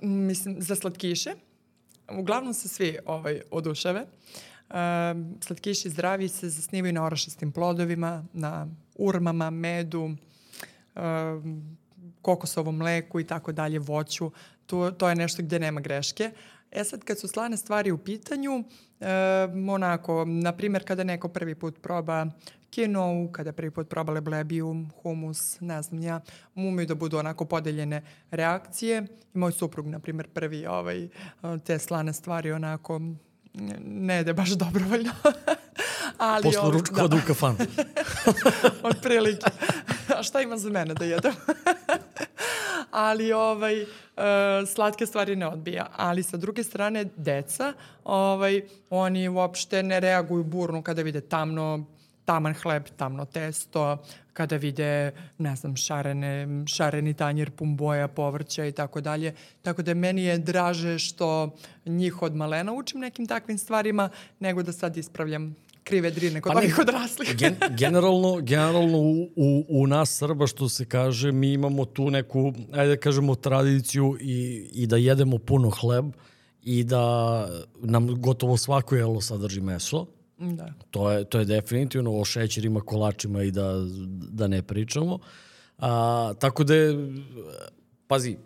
Mislim, za slatkiše, uglavnom se svi oduševe. Slatkiši zdravi se zasnivaju na orašastim plodovima, na urmama, medu, kokosovom mleku i tako dalje, voću. To je nešto gde nema greške. Sad kad su slane stvari u pitanju, na primjer kada neko prvi put proba kinovu, kada prvi put proba leblebiju, humus, ne znam ja, umiju da budu onako podeljene reakcije. I moj suprug, na primjer, prvi te slane stvari onako ne jede baš dobrovoljno. Posle ručka odu u kafanu. Od prilike. A šta ima za mene da jedem? ali slatke stvari ne odbija. Ali sa druge strane, deca, oni uopšte ne reaguju burno kada vide taman hleb, tamno testo, kada vide, ne znam, šareni tanjir pun boja, povrća i tako dalje. Tako da meni je draže što njih od malena učim nekim takvim stvarima, nego da sad ispravljam krive drine kod ovih odraslih. Generalno u nas Srba, što se kaže, mi imamo tu neku, ajde da kažemo, tradiciju i da jedemo puno hleb i da nam gotovo svako jelo sadrži meso. Da. To je definitivno, o šećerima, kolačima i da ne pričamo. Tako da je, pazi,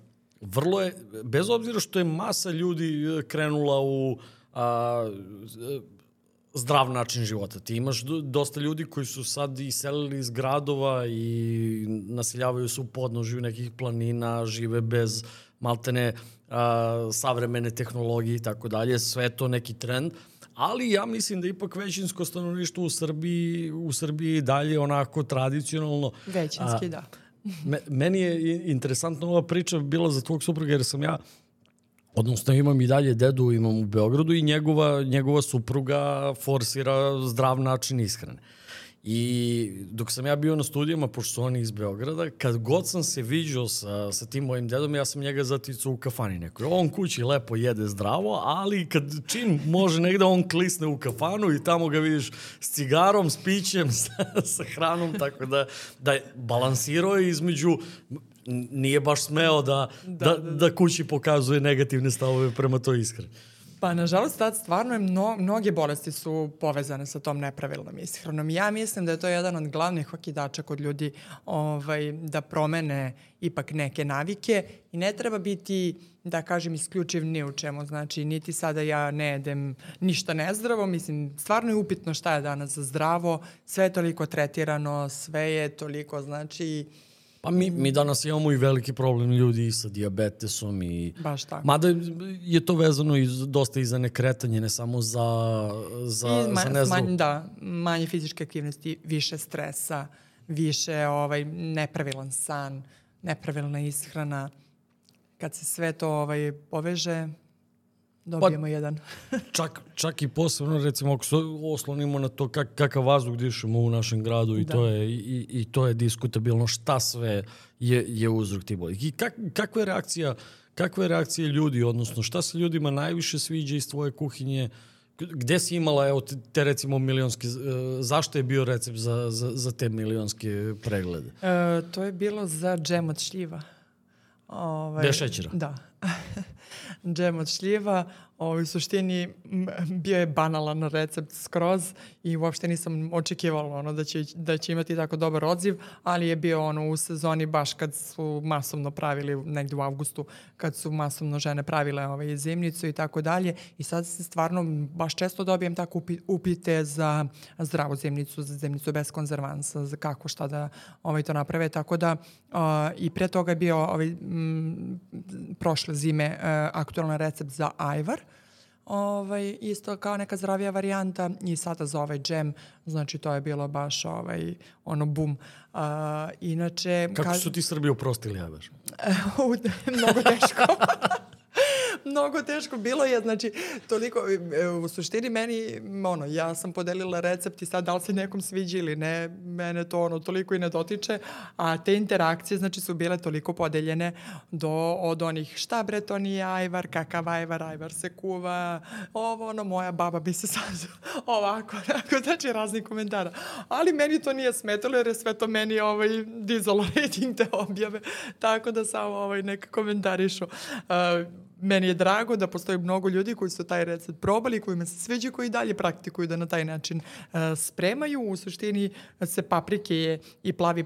vrlo je, bez obzira što je masa ljudi krenula u zdrav način života. Ti imaš dosta ljudi koji su sad iselili iz gradova i naseljavaju se u podnožju nekih planina, žive bez maltene savremene tehnologije i tako dalje. Sve je to neki trend. Ali ja mislim da ipak većinsko stanovništvo u Srbiji dalje onako tradicionalno. Većinski, da. Meni je interesantna ova priča bila za tvog supruga, jer sam ja, odnosno imam i dalje dedu, imam u Beogradu i njegova supruga forsira zdrav način ishrane. I dok sam ja bio na studijama, pošto su oni iz Beograda, kad god sam se viđao sa tim mojim dedom, ja sam njega zaticao u kafani nekoj. On kući lepo jede zdravo, ali kad čim može negde, on klisne u kafanu i tamo ga vidiš s cigarom, s pićem, sa hranom, tako da je balansirao između. Nije baš smeo da kući pokazuje negativne stavove prema toj ishrani. Pa, nažalost, tad stvarno je mnoge bolesti su povezane sa tom nepravilnom ishranom. Ja mislim da je to jedan od glavnih okidača kod ljudi da promene ipak neke navike i ne treba biti, da kažem, isključiv ni u čemu. Znači, niti sada ja ne jedem ništa nezdravo. Mislim, stvarno je upitno šta je danas za zdravo. Sve je toliko tretirano, sve je toliko, znači... Pa mi danas imamo i veliki problem ljudi sa dijabetesom i... Baš tako. Mada je to vezano dosta i za nekretanje, ne samo za nezdrav. Da, manje fizičke aktivnosti, više stresa, više nepravilan san, nepravilna ishrana. Kad se sve to poveže, dobijemo jedan. čak i posebno, recimo, ako se oslonimo na to kakav vazduh dišemo u našem gradu i to je diskutabilno šta sve je uzrok tih bolesti. I kakva je reakcija ljudi, odnosno šta se ljudima najviše sviđa iz tvoje kuhinje? Gde si imala, evo, te recimo milionske, zašto je bio recept za te milionske preglede? To je bilo za džem od šljiva. Bez šećera? Da. Džem od šljiva, u suštini bio je banalan recept skroz i uopšte nisam očekivala da će imati tako dobar odziv, ali je bio u sezoni baš kad su masovno pravili, negde u avgustu, kad su masovno žene pravile zimnicu i tako dalje. I sad se stvarno baš često dobijem tako upite za zdravu zimnicu, za zimnicu bez konzervansa, za kako šta da to naprave. Tako da i pre toga je bio prošle zime aktualan recept za ajvar. Isto kao neka zdravija varijanta i sada za ovaj džem, znači to je bilo baš bum. Inače... Kako su ti Srbi oprostili ajvar? Mnogo teško. Mnogo teško bilo je, znači toliko, u suštini meni, ja sam podelila recept i sad da li se nekom sviđa ili ne, mene to toliko i ne dotiče, a te interakcije, znači, su bile toliko podeljene od onih, šta bre, to nije ajvar, kakav ajvar se kuva, moja baba bi se sad ovako, znači raznih komentara. Ali meni to nije smetalo jer je sve to meni dizalo rating te objave, tako da samo neka komentarišu. Meni je drago da postoji mnogo ljudi koji su taj recept probali, kojima se sviđa, koji dalje praktikuju da na taj način spremaju. U suštini se paprike i plavi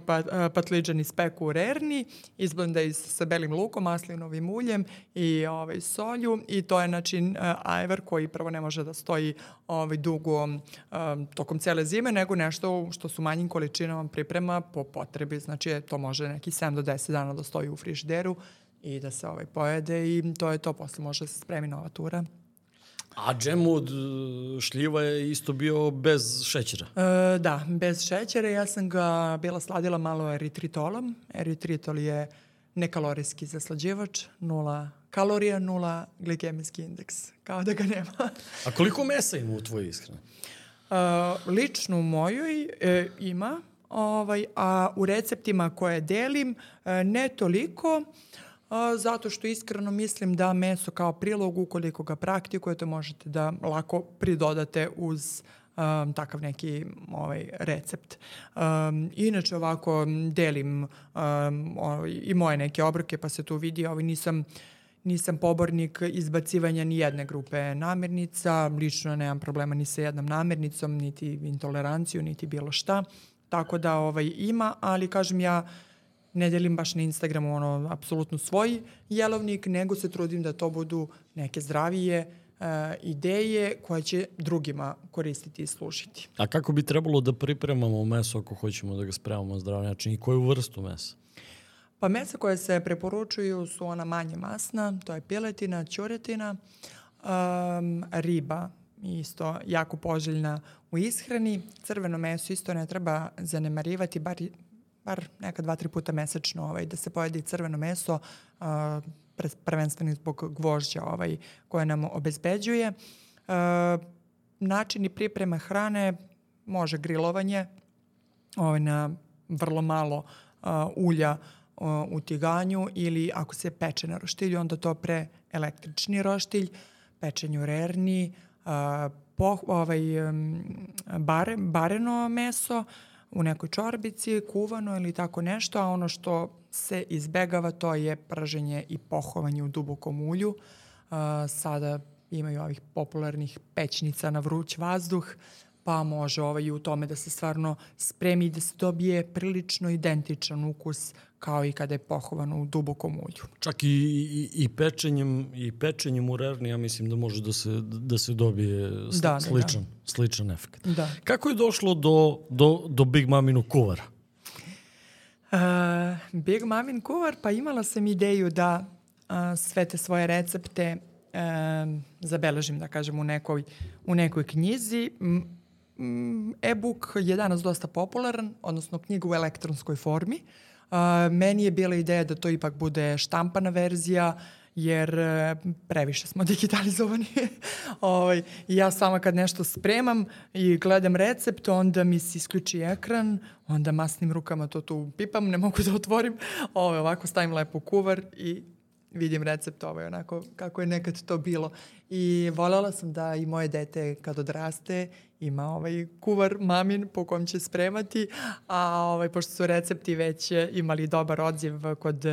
patliđani speku u rerni, izblendaju sa belim lukom, maslinovim uljem i solju i to je način ajvar koji prvo ne može da stoji dugo tokom cele zime, nego nešto što su manjim količinama priprema po potrebi. Znači to može neki 7 do 10 dana da stoji u frižideru i da se pojede i to je to, posle može se spremi nova tura. A džem od šljiva je isto bio bez šećera? Da, bez šećera. Ja sam ga bila sladila malo eritritolom. Eritritol je nekalorijski zaslađivač, 0 kalorija, 0 glikemijski indeks. Kao da ga nema. A koliko mesa ima u tvojoj ishrani? Lično u mojoj ima, a u receptima koje delim ne toliko, zato što iskreno mislim da meso kao prilog, ukoliko ga praktikujete, možete da lako pridodate uz takav neki recept. Inače ovako delim i moje neke obroke, pa se tu vidi, nisam pobornik izbacivanja ni jedne grupe namirnica, lično nemam problema ni sa jednom namirnicom, niti intoleranciju, niti bilo šta. Tako da ima, ali kažem ja ne delim baš na Instagramu apsolutno svoj jelovnik, nego se trudim da to budu neke zdravije ideje koje će drugima koristiti i služiti. A kako bi trebalo da pripremamo meso ako hoćemo da ga spremamo na zdrav način i koju vrstu mesa? Pa mesa koje se preporučuju su ona manje masna, to je piletina, ćuretina, riba isto jako poželjna u ishrani. Crveno meso isto ne treba zanemarivati, bar neka 2-3 puta mesečno da se pojede i crveno meso, prvenstveno zbog gvožđa koje nam obezbeđuje. Načini pripreme hrane može grilovanje na vrlo malo ulja u tiganju ili ako se peče na roštilju, onda to pre električni roštilj, pečenje u rerni, bareno meso u nekoj čorbici, kuvano ili tako nešto, a ono što se izbegava to je praženje i pohovanje u dubokom ulju. Sada imaju ovih popularnih pećnica na vruć vazduh, pa može i u tome da se stvarno spremi i da se dobije prilično identičan ukus kao i kada je pohovano u dubokom ulju. Čak i pečenjem u rerni, ja mislim da može da se dobije sličan efekt. Da. Kako je došlo do Big Maminu kuvara? Big Mamin kuvar, pa imala sam ideju da sve te svoje recepte zabeležim, da kažem, u nekoj knjizi. E-book je danas dosta popularan, odnosno knjiga u elektronskoj formi. Meni je bila ideja da to ipak bude štampana verzija, jer previše smo digitalizovani. I ja sama kad nešto spremam i gledam recept, onda mi se isključi ekran, onda masnim rukama to tu pipam, ne mogu da otvorim. Ovako stavim lepo u kuvar i vidim recept onako kako je nekad to bilo. I voljela sam da i moje dete kad odraste ima kuvar mamin po kojem će spremati, a pošto su recepti već imali dobar odziv kod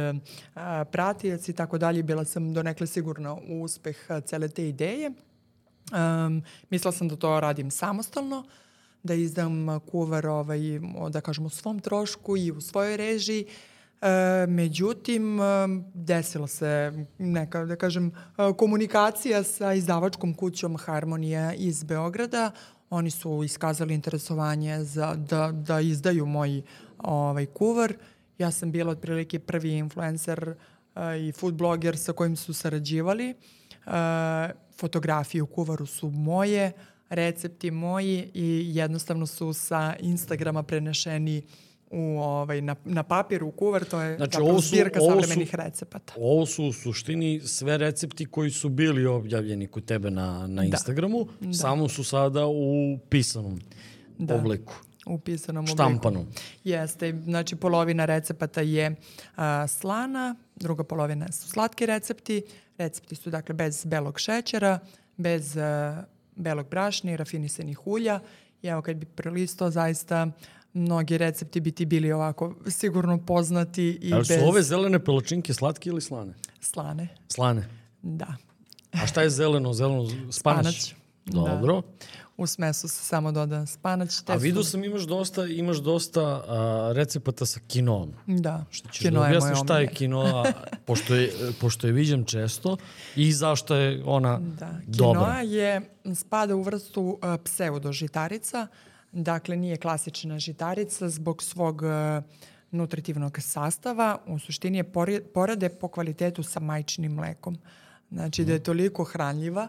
pratioca i tako dalje, bila sam donekle sigurna u uspeh cele te ideje. Mislila sam da to radim samostalno, da izdam kuvar, da kažem, u svom trošku i u svojoj režiji. Međutim, desila se neka, da kažem, komunikacija sa izdavačkom kućom Harmonija iz Beograda. Oni su iskazali interesovanje da izdaju moj kuvar. Ja sam bila otprilike prvi influencer i food bloger sa kojim su sarađivali. Fotografije u kuvaru su moje, recepti moji i jednostavno su sa Instagrama prenešeni na papir, u kuvar. To je zbirka savremenih recepata. Ovo su u suštini sve recepti koji su bili objavljeni kod tebe na Instagramu, samo su sada u pisanom obliku. U pisanom obliku. Štampanom. Jeste, znači polovina recepata je slana, druga polovina su slatki recepti. Recepti su dakle bez belog šećera, bez belog brašna i rafinisanih ulja. I evo kad bi prelistao, zaista mnogi recepti bi ti bili ovako sigurno poznati. Ali su ove zelene palačinke slatke ili slane? Slane. Slane? Da. A šta je zeleno? Zeleno spanać? Dobro. Da. U smesu se samo doda spanać. A vidio sam imaš dosta recepata sa kinoom. Da. Što ćeš da objasniš šta je kinoa, pošto je viđam često i zašto je ona dobra. Kinoa spada u vrstu pseudožitarica. Dakle, nije klasična žitarica zbog svog nutritivnog sastava. U suštini je porade po kvalitetu sa majčinim mlekom. Znači da je toliko hranljiva.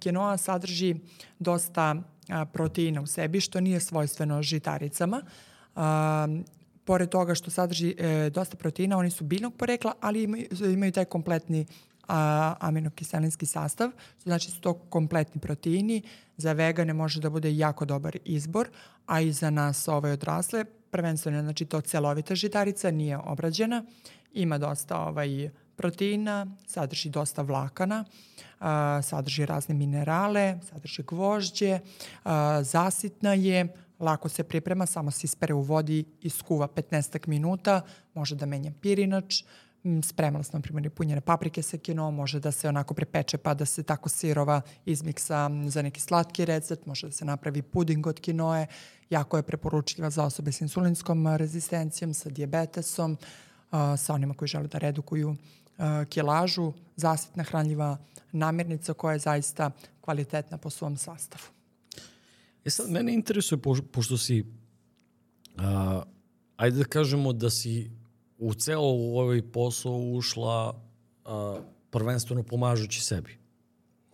Kinoa sadrži dosta proteina u sebi, što nije svojstveno žitaricama. pored toga što sadrži dosta proteina, oni su biljnog porekla, ali imaju taj kompletni aminokiselinski sastav, znači su to kompletni proteini. Za vegane može da bude jako dobar izbor, a i za nas odrasle, prvenstveno, znači to celovita žitarica, nije obrađena, ima dosta proteina, sadrži dosta vlakana, sadrži razne minerale, sadrži gvožđe, zasitna je, lako se priprema, samo se ispere u vodi i skuva 15 minuta, može da menja pirinač, spremala sam, na primjer, i punjene paprike sa kinoom, može da se onako prepeče pa da se tako sirova izmiksa za neki slatki recept, može da se napravi puding od kinoe, jako je preporučljiva za osobe s insulinskom rezistencijom, sa dijabetesom, sa onima koji žele da redukuju kilažu, zasitna hranljiva namirnica koja je zaista kvalitetna po svom sastavu. Sad, mene interesuje, pošto si, ajde da kažemo da si u celo ovaj posao ušla prvenstveno pomažući sebi.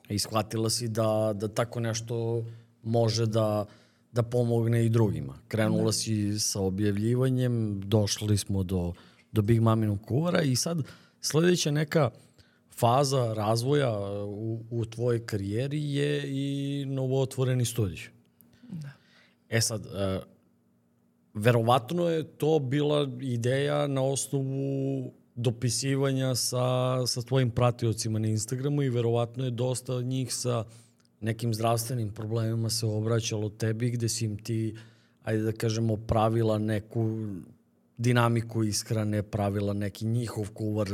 I shvatila si da tako nešto može da pomogne i drugima. Krenula si sa objavljivanjem, došli smo do Big Maminog kuvara i sad sledeća neka faza razvoja u tvojoj karijeri je i novootvoreni studij. Da. Sad, verovatno je to bila ideja na osnovu dopisivanja sa tvojim pratiocima na Instagramu i verovatno je dosta od njih sa nekim zdravstvenim problemima se obraćalo tebi gde si im ti, ajde da kažemo, pravila neku dinamiku ishrane, pravila neki njihov kuvar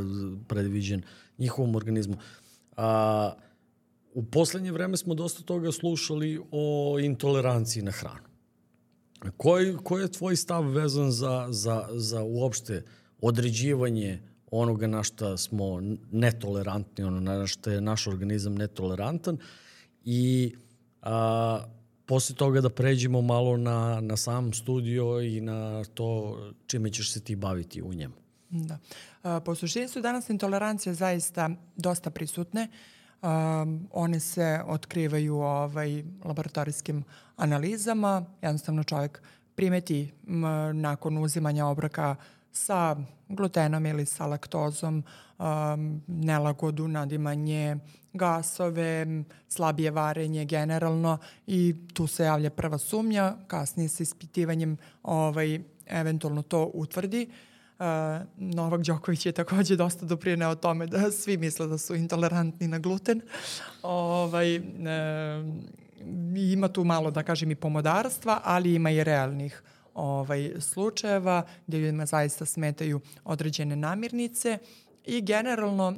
predviđen njihovom organizmu. U poslednje vreme smo dosta toga slušali o intoleranciji na hranu. Koji je tvoj stav vezan za uopšte određivanje onoga na šta smo netolerantni, ono na šta je naš organizam netolerantan i posle toga da pređemo malo na sam studio i na to čime ćeš se ti baviti u njemu. Da. Po suštini su danas intolerancije zaista dosta prisutne. One se otkrivaju laboratorijskim analizama. Jednostavno čovjek primeti nakon uzimanja obroka sa glutenom ili sa laktozom nelagodu, nadimanje, gasove, slabije varenje generalno i tu se javlja prva sumnja, kasnije sa ispitivanjem eventualno to utvrdi. Novak Đoković je takođe dosta doprineo tome da svi misle da su intolerantni na gluten. Ima tu malo, da kažem, i pomodarstva, ali ima i realnih slučajeva gde ljudima zaista smetaju određene namirnice i generalno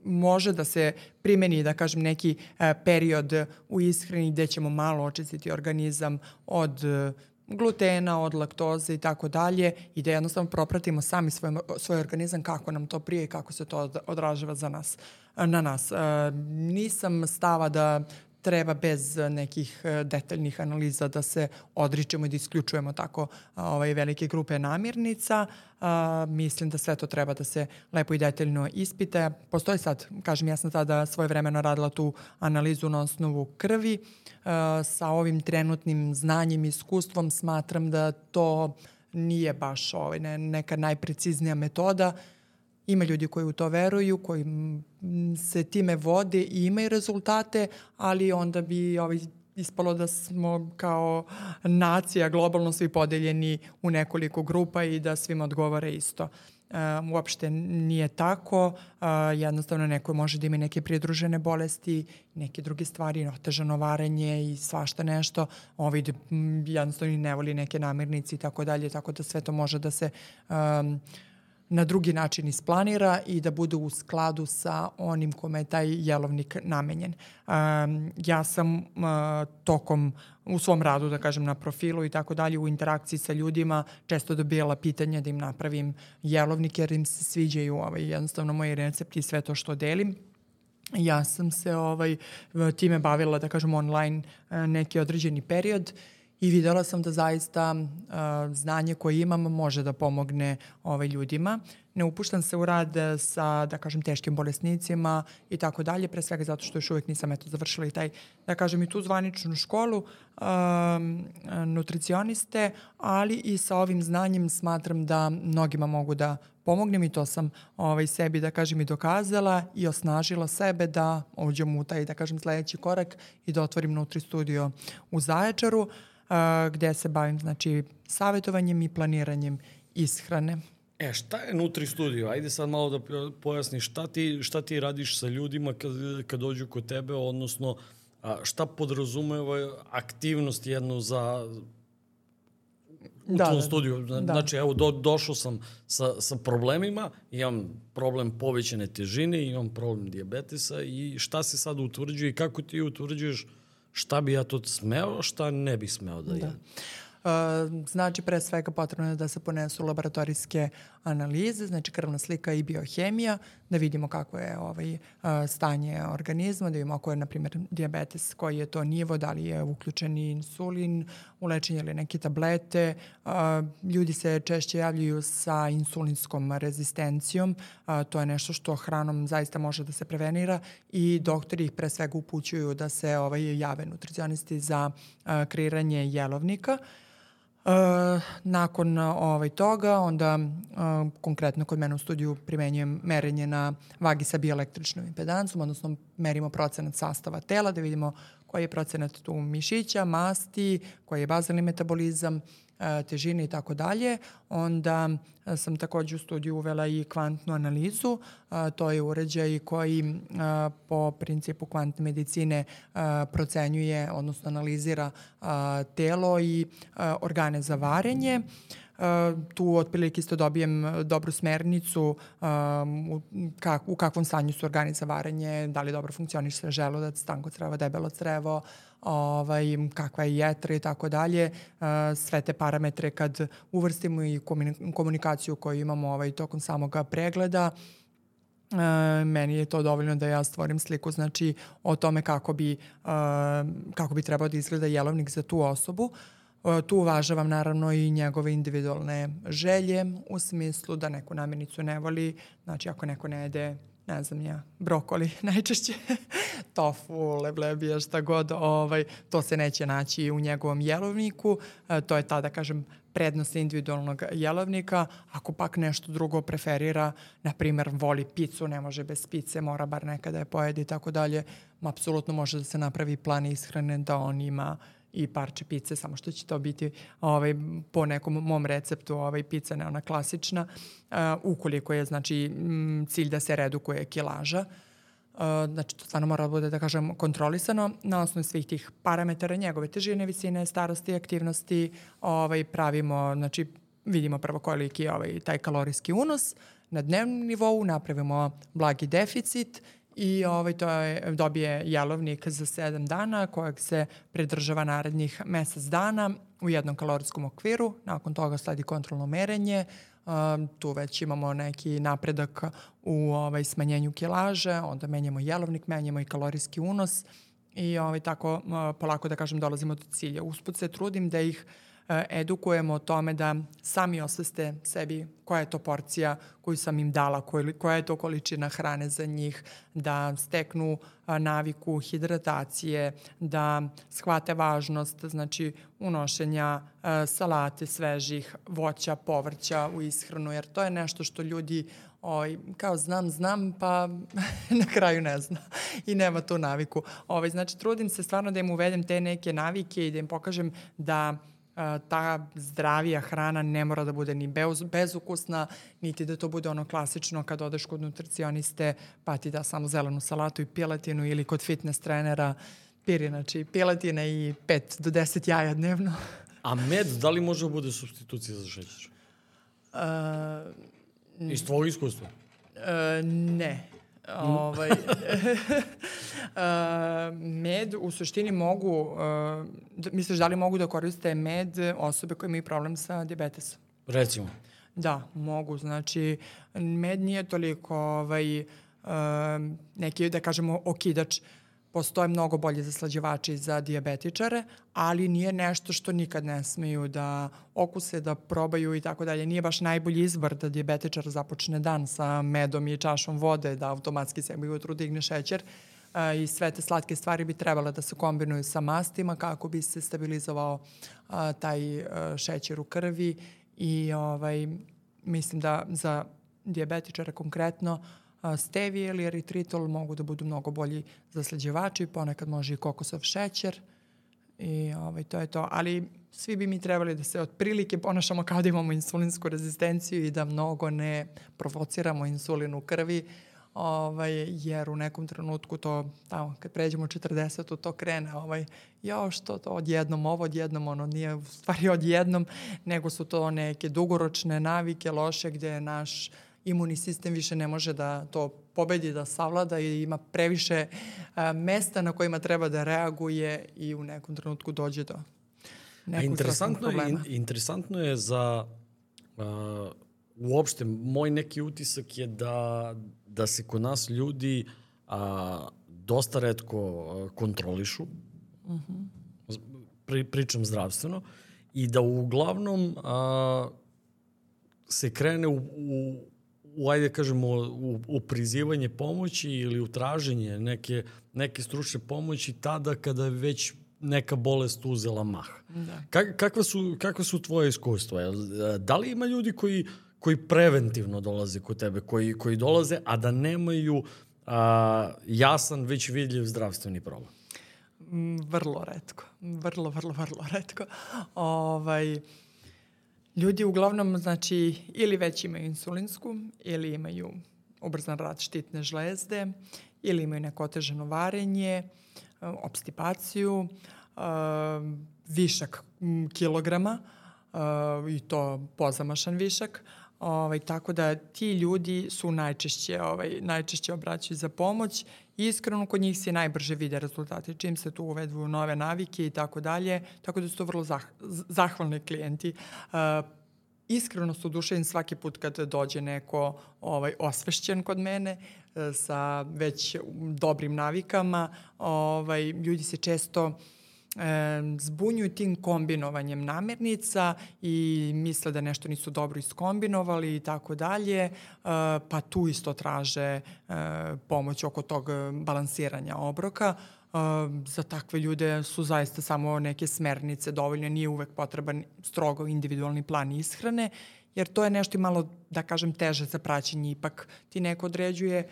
može da se primeni, da kažem, neki period u ishrani gde ćemo malo očistiti organizam od glutena, od laktoze i tako dalje i da jednostavno propratimo sami svoj organizam kako nam to prije i kako se to odražava na nas. Nisam stava da treba bez nekih detaljnih analiza da se odričemo i da isključujemo tako velike grupe namirnica. Mislim da sve to treba da se lepo i detaljno ispita. Postoji sad, kažem, ja sam tada svojevremeno radila tu analizu na osnovu krvi. Sa ovim trenutnim znanjem i iskustvom smatram da to nije baš neka najpreciznija metoda. Ima ljudi koji u to veruju, koji se time vode i imaju rezultate, ali onda bi ispalo da smo kao nacija globalno svi podeljeni u nekoliko grupa i da svima odgovara isto. Uopšte nije tako, jednostavno neko može da ima neke pridružene bolesti, neke druge stvari, otežano varenje i svašta nešto, jednostavno ne voli neke namirnice i tako dalje, tako da sve to može da se na drugi način isplanira i da bude u skladu sa onim kome je taj jelovnik namenjen. Ja sam u svom radu, da kažem, na profilu i tako dalje, u interakciji sa ljudima često dobijala pitanja da im napravim jelovnik jer im se sviđaju jednostavno moji recepti i sve to što delim. Ja sam se time bavila, da kažem, online neki određeni period i videla sam da zaista znanje koje imam može da pomogne ljudima. ne upuštam se u rad sa, da kažem, teškim bolesnicima i tako dalje, pre svega zato što još uvijek nisam završila i taj, da kažem, i tu zvaničnu školu nutricioniste, ali i sa ovim znanjem smatram da mnogima mogu da pomognem i to sam sebi, da kažem, i dokazala i osnažila sebe da uđem u taj, da kažem, sledeći korak i da otvorim Nutri studio u Zaječaru, gde se bavim, znači, savjetovanjem i planiranjem ishrane. Šta je Nutri studio? Ajde sad malo da pojasniš šta ti radiš sa ljudima kad dođu kod tebe, odnosno šta podrazumeva aktivnost jednu u tom studiju. Znači, evo, došao sam sa problemima, imam problem povećane težine, imam problem dijabetesa i šta se sad utvrđuje i kako ti utvrđuješ šta bi ja to smeo, šta ne bi smeo da jem? Znači, pre svega potrebno je da se ponesu laboratorijske analize, znači krvna slika i biohemija, da vidimo kako je stanje organizma, da vidimo ako je, na primjer, dijabetes, koji je to nivo, da li je uključen insulin u lečenje ili neke tablete. Ljudi se češće javljaju sa insulinskom rezistencijom, to je nešto što hranom zaista može da se prevenira i doktori ih pre svega upućuju da se jave nutricionisti za kreiranje jelovnika. Nakon toga, onda konkretno kod mene u studiju primenjujem merenje na vagi sa bioelektričnom impedancom, odnosno merimo procenat sastava tela, da vidimo koji je procenat tu mišića, masti, koji je bazalni metabolizam, težine i tako dalje. Onda sam također u studiju uvela i kvantnu analizu. To je uređaj koji po principu kvantne medicine procenjuje, odnosno analizira telo i organe za varenje. Tu otprilike isto dobijem dobru smernicu u kakvom stanju su organi za varenje, da li dobro funkcioniše želudac, tanko crevo, debelo crevo, kakva je jetra i tako dalje. Sve te parametre kad uvrstimo i komunikaciju koju imamo tokom samog pregleda, meni je to dovoljno da ja stvorim sliku, znači, o tome kako bi trebao da izgleda jelovnik za tu osobu. Tu uvažavam naravno i njegove individualne želje, u smislu da neku namirnicu ne voli, znači ako neko ne jede, ne znam ja, brokoli najčešće, tofu, leblebija, šta god, to se neće naći u njegovom jelovniku. To je ta, da kažem, prednost individualnog jelovnika. Ako pak nešto drugo preferira, na primjer voli picu, ne može bez pice, mora bar nekada je pojedi i tako dalje, apsolutno može da se napravi plan ishrane da on ima i parče pice, samo što će to biti po nekom mom receptu pica, ne ona klasična, ukoliko je, znači, cilj da se redukuje kilaža. Znači, to stvarno mora da bude, da kažem, kontrolisano na osnovu svih tih parametara, njegove težine, visine, starosti, aktivnosti. Pravimo, znači, vidimo prvo koliki je taj kalorijski unos na dnevnom nivou, napravimo blagi deficit i dobije jelovnik za 7 dana kojeg se pridržava narednih mesec dana u jednom kalorijskom okviru. Nakon toga sledi kontrolno merenje. Tu već imamo neki napredak u smanjenju kilaže, onda menjamo jelovnik, menjamo i kalorijski unos i tako polako, da kažem, dolazimo do cilja. Usput se trudim da ih edukujemo o tome da sami osveste sebi koja je to porcija koju sam im dala, koja je to količina hrane za njih, da steknu naviku hidratacije, da shvate važnost, znači, unošenja salate, svežih voća, povrća u ishranu, jer to je nešto što ljudi kao znam, pa na kraju ne zna i nema tu naviku. Znači, trudim se stvarno da im uvedem te neke navike i da im pokažem da ta zdravija hrana ne mora da bude ni bezukusna, niti da to bude ono klasično kad odeš kod nutricioniste pa ti da samo zelenu salatu i piletinu, ili kod fitness trenera znači piletina i 5 do 10 jaja dnevno. A med, da li može da bude supstitucija za šećer? Iz tvojeg iskustva? Ne. Med u suštini mogu, misliš da li mogu da koriste med osobe koje imaju problem sa dijabetesom? Recimo. Da, mogu. Znači, med nije toliko neki, da kažemo, okidač. postoje mnogo bolji zaslađivači za dijabetičare, ali nije nešto što nikad ne smeju da okuse, da probaju i tako dalje. Nije baš najbolji izbor da dijabetičar započne dan sa medom i čašom vode, da automatski sebi ujutru digne šećer. I sve te slatke stvari bi trebale da se kombinuju sa mastima kako bi se stabilizovao taj šećer u krvi i mislim da za dijabetičara konkretno stevije ili eritritol mogu da budu mnogo bolji zaslađivači, ponekad može i kokosov šećer i to je to. Ali svi bi mi trebali da se otprilike ponašamo kao da imamo insulinsku rezistenciju i da mnogo ne provociramo insulin u krvi, jer u nekom trenutku to, tamo, kad pređemo 40, to krene, što to odjednom ovo, odjednom ono, nije u stvari odjednom, nego su to neke dugoročne navike loše gde naš imunni sistem više ne može da to pobedi, da savlada i ima previše mesta na kojima treba da reaguje i u nekom trenutku dođe do nekog zdravstvenog problema. Interesantno je za uopšte, moj neki utisak je da se kod nas ljudi dosta retko kontrolišu, pričam zdravstveno, i da uglavnom se krene ajde kažemo, u prizivanje pomoći ili u traženje neke stručne pomoći tada kada je već neka bolest uzela mah. Da. Kakva su tvoje iskustva? Da li ima ljudi koji preventivno dolaze kod tebe, koji dolaze, a da nemaju jasan, već vidljiv zdravstveni problem? Vrlo retko. Vrlo retko. Ljudi uglavnom, znači, ili već imaju insulinsku, ili imaju ubrzan rad štitne žlezde, ili imaju neko otežano varenje, opstipaciju, višak kilograma, i to pozamašan višak. Tako da ti ljudi su najčešće obraćaju za pomoć i iskreno kod njih se najbrže vide rezultati. Čim se tu uvedu nove navike i tako dalje, tako da su to vrlo zahvalni klijenti. Iskreno su oduševljeni svaki put kad dođe neko osvešćen kod mene sa već dobrim navikama. Ljudi se često zbunjuju tim kombinovanjem namirnica i misle da nešto nisu dobro iskombinovali i tako dalje, pa tu isto traže pomoć oko tog balansiranja obroka. Za takve ljude su zaista samo neke smernice dovoljne, nije uvek potreban strogo individualni plan ishrane, jer to je nešto malo, da kažem, teže za praćenje. Ipak ti neko određuje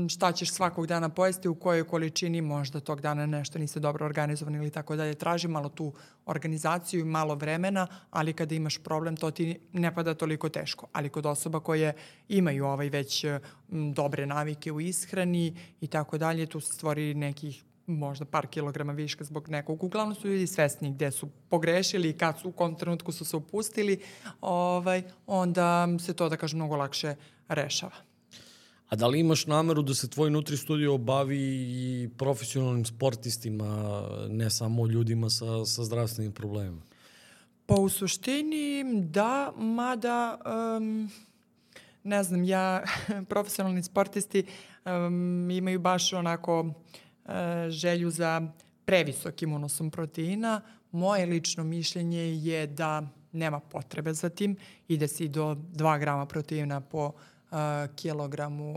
šta ćeš svakog dana pojesti, u kojoj količini, možda tog dana nešto niste dobro organizovani ili tako dalje. Traži malo tu organizaciju i malo vremena, ali kada imaš problem, to ti ne pada toliko teško. Ali kod osoba koje imaju već dobre navike u ishrani i tako dalje, tu se stvori nekih možda par kilograma viška zbog nekog. Uglavnom su ljudi svesni gde su pogrešili i u kom trenutku su se upustili, onda se to, da kažem, mnogo lakše rešava. A da li imaš nameru da se tvoj Nutri Studio bavi i profesionalnim sportistima, ne samo ljudima sa zdravstvenim problemima? Pa u suštini da, mada ne znam, profesionalni sportisti imaju baš onako želju za previsokim unosom proteina. Moje lično mišljenje je da nema potrebe za tim, ide se i do 2 grama proteina po kilogramu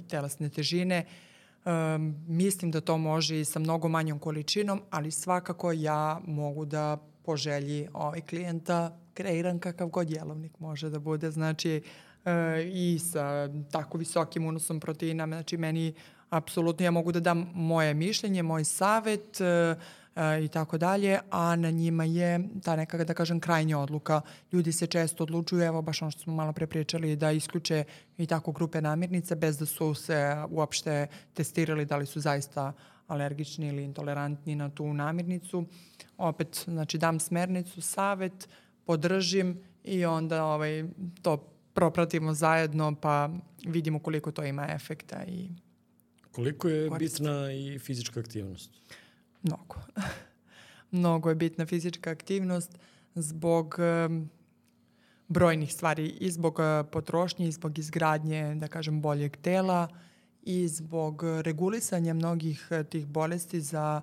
telesne težine. Mislim da to može i sa mnogo manjom količinom, ali svakako ja mogu da po želji klijenta kreiram kakav god jelovnik može da bude. Znači i sa tako visokim unosom proteina, znači meni apsolutno ja mogu da dam moje mišljenje, moj savet i tako dalje, a na njima je ta neka, da kažem, krajnja odluka. Ljudi se često odlučuju, evo baš ono što smo malo pre pričali, da isključe i tako grupe namirnica bez da su se uopšte testirali da li su zaista alergični ili intolerantni na tu namirnicu. Opet, znači, dam smernicu, savet, podržim i onda to propratimo zajedno pa vidimo koliko to ima efekta i koliko je bitna i fizička aktivnost? Mnogo. Mnogo je bitna fizička aktivnost zbog brojnih stvari, i zbog potrošnje, i zbog izgradnje, da kažem, boljeg tela i zbog regulisanja mnogih tih bolesti za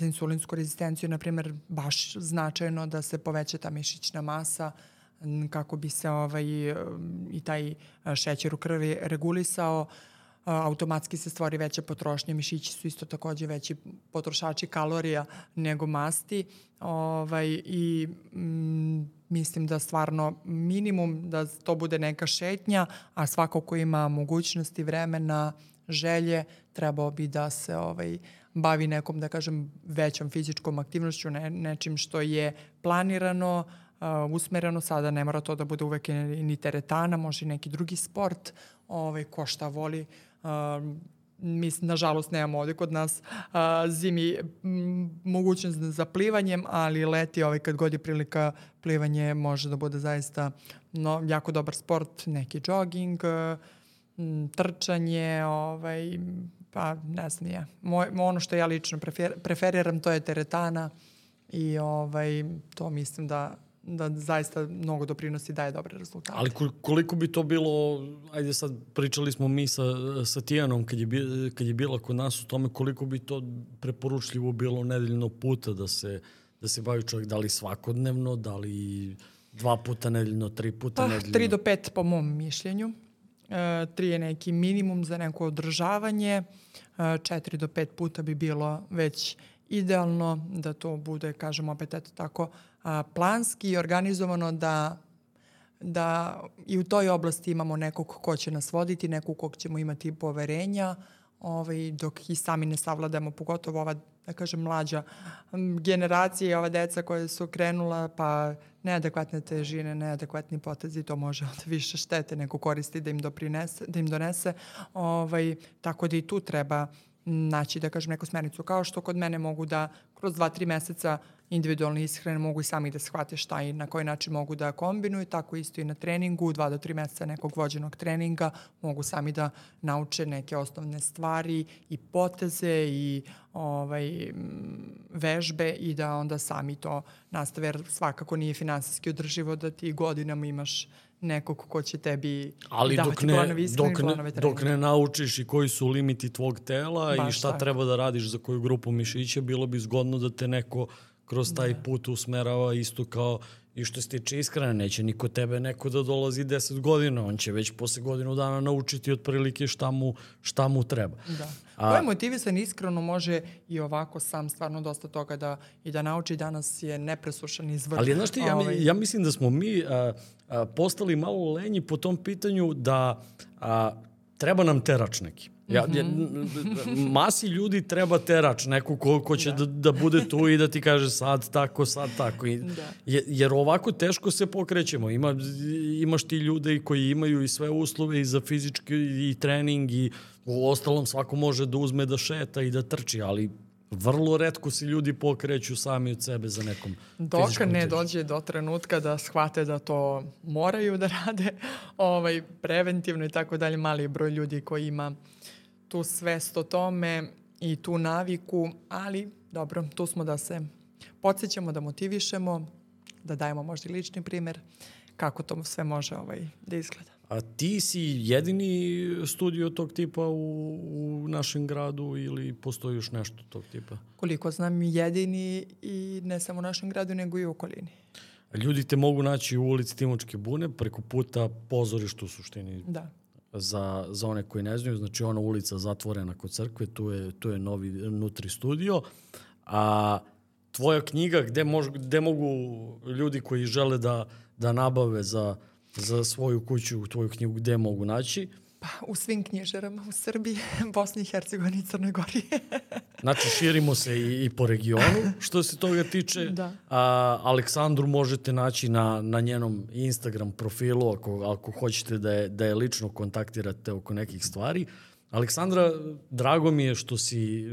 insulinsku rezistenciju, na primjer, baš značajno da se poveća ta mišićna masa kako bi se i taj šećer u krvi regulisao. Automatski se stvori veća potrošnja. Mišići su isto takođe veći potrošači kalorija nego masti. I mislim da stvarno minimum da to bude neka šetnja, a svako ko ima mogućnosti, vremena, želje, trebao bi da se bavi nekom, da kažem, većom fizičkom aktivnošću, nečim što je planirano, usmereno. Sada ne mora to da bude uvek ni teretana, može i neki drugi sport, ko šta voli. Mi, nažalost, nemamo ovde kod nas zimi mogućnost za plivanjem, ali leti, kad god je prilika, plivanje može da bude zaista jako dobar sport, neki jogging, trčanje, pa ne znam ja. Ono što ja lično preferiram, to je teretana i to mislim da zaista mnogo doprinosi, daje dobre rezultate. Ali koliko bi to bilo, ajde sad pričali smo mi sa Tijanom kad je bila kod nas u tome, koliko bi to preporučljivo bilo nedeljno puta da se bavi čovjek, da li svakodnevno, da li 2 puta nedeljno, 3 puta nedeljno? 3 do 5 po mom mišljenju. 3 je neki minimum za neko održavanje. 4 do 5 puta bi bilo već idealno da to bude, kažem opet, eto tako, planski i organizovano, da i u toj oblasti imamo nekog ko će nas voditi, nekog kog ćemo imati poverenja, dok i sami ne savladamo, pogotovo ova, da kažem, mlađa generacija i ova deca koja su krenula, pa neadekvatne težine, neadekvatni potezi, to može onda više štete nego koristi da im donese. Tako da i tu treba naći, da kažem, neku smernicu. Kao što kod mene mogu da kroz 2-3 meseca individualne ishrane mogu i sami da shvate šta i na koji način mogu da kombinuju, tako isto i na treningu, 2 do 3 meseca nekog vođenog treninga mogu sami da nauče neke osnovne stvari i poteze i vežbe i da onda sami to nastave, jer svakako nije finansijski održivo da ti godinama imaš nekog ko će tebi davati planovi ishrane i planove treninga. Dok ne naučiš i koji su limiti tvog tela i šta treba da radiš za koju grupu mišića, bilo bi zgodno da te neko kroz taj put usmerava, isto kao i što se tiče ishrane. Neće niko tebe neko da dolazi 10 godina, on će već posle godinu dana naučiti otprilike šta mu treba. Da. Ko je motivisan iskreno može i ovako sam stvarno dosta toga da nauči. Danas je nepresušan izvor. Ali znaš ti, ja mislim da smo mi postali malo lenji po tom pitanju da treba nam terač neki. Masi ljudi treba terač, neko ko će da bude tu i da ti kaže sad tako. Jer ovako teško se pokrećemo. Imaš ti ljude koji imaju i sve uslove i za fizički i trening i u ostalom svako može da uzme da šeta i da trči, ali vrlo retko se ljudi pokreću sami od sebe za nekom dok ne dođe do trenutka da shvate da to moraju da rade preventivno i tako dalje. Mali je broj ljudi koji ima tu svest o tome i tu naviku, ali dobro, tu smo da se podsjećamo, da motivišemo, da dajemo možda lični primjer kako to sve može da izgleda. A ti si jedini studio tog tipa u našem gradu ili postoji još nešto tog tipa? Koliko znam, jedini i ne samo u našem gradu, nego i u okolini. Ljudi te mogu naći u ulici Timočke bune, preko puta pozorišta u suštini. Da. Za one koji ne znaju, znači ona ulica zatvorena kod crkve, tu je novi Nutri studio. A tvoja knjiga, gde mogu ljudi koji žele da nabave za svoju kuću, tvoju knjigu, gde mogu naći? Pa u svim knjižarama u Srbiji, Bosni i Hercegovini i Crnoj Gori. Znači širimo se i po regionu što se toga tiče. Da. Aleksandru možete naći na njenom Instagram profilu ako hoćete da je lično kontaktirate oko nekih stvari. Aleksandra, drago mi je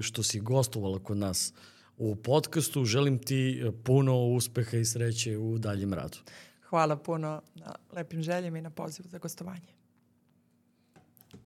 što si gostovala kod nas u podcastu. Želim ti puno uspeha i sreće u daljem radu. Hvala puno na lepim željama i na pozivu za gostovanje.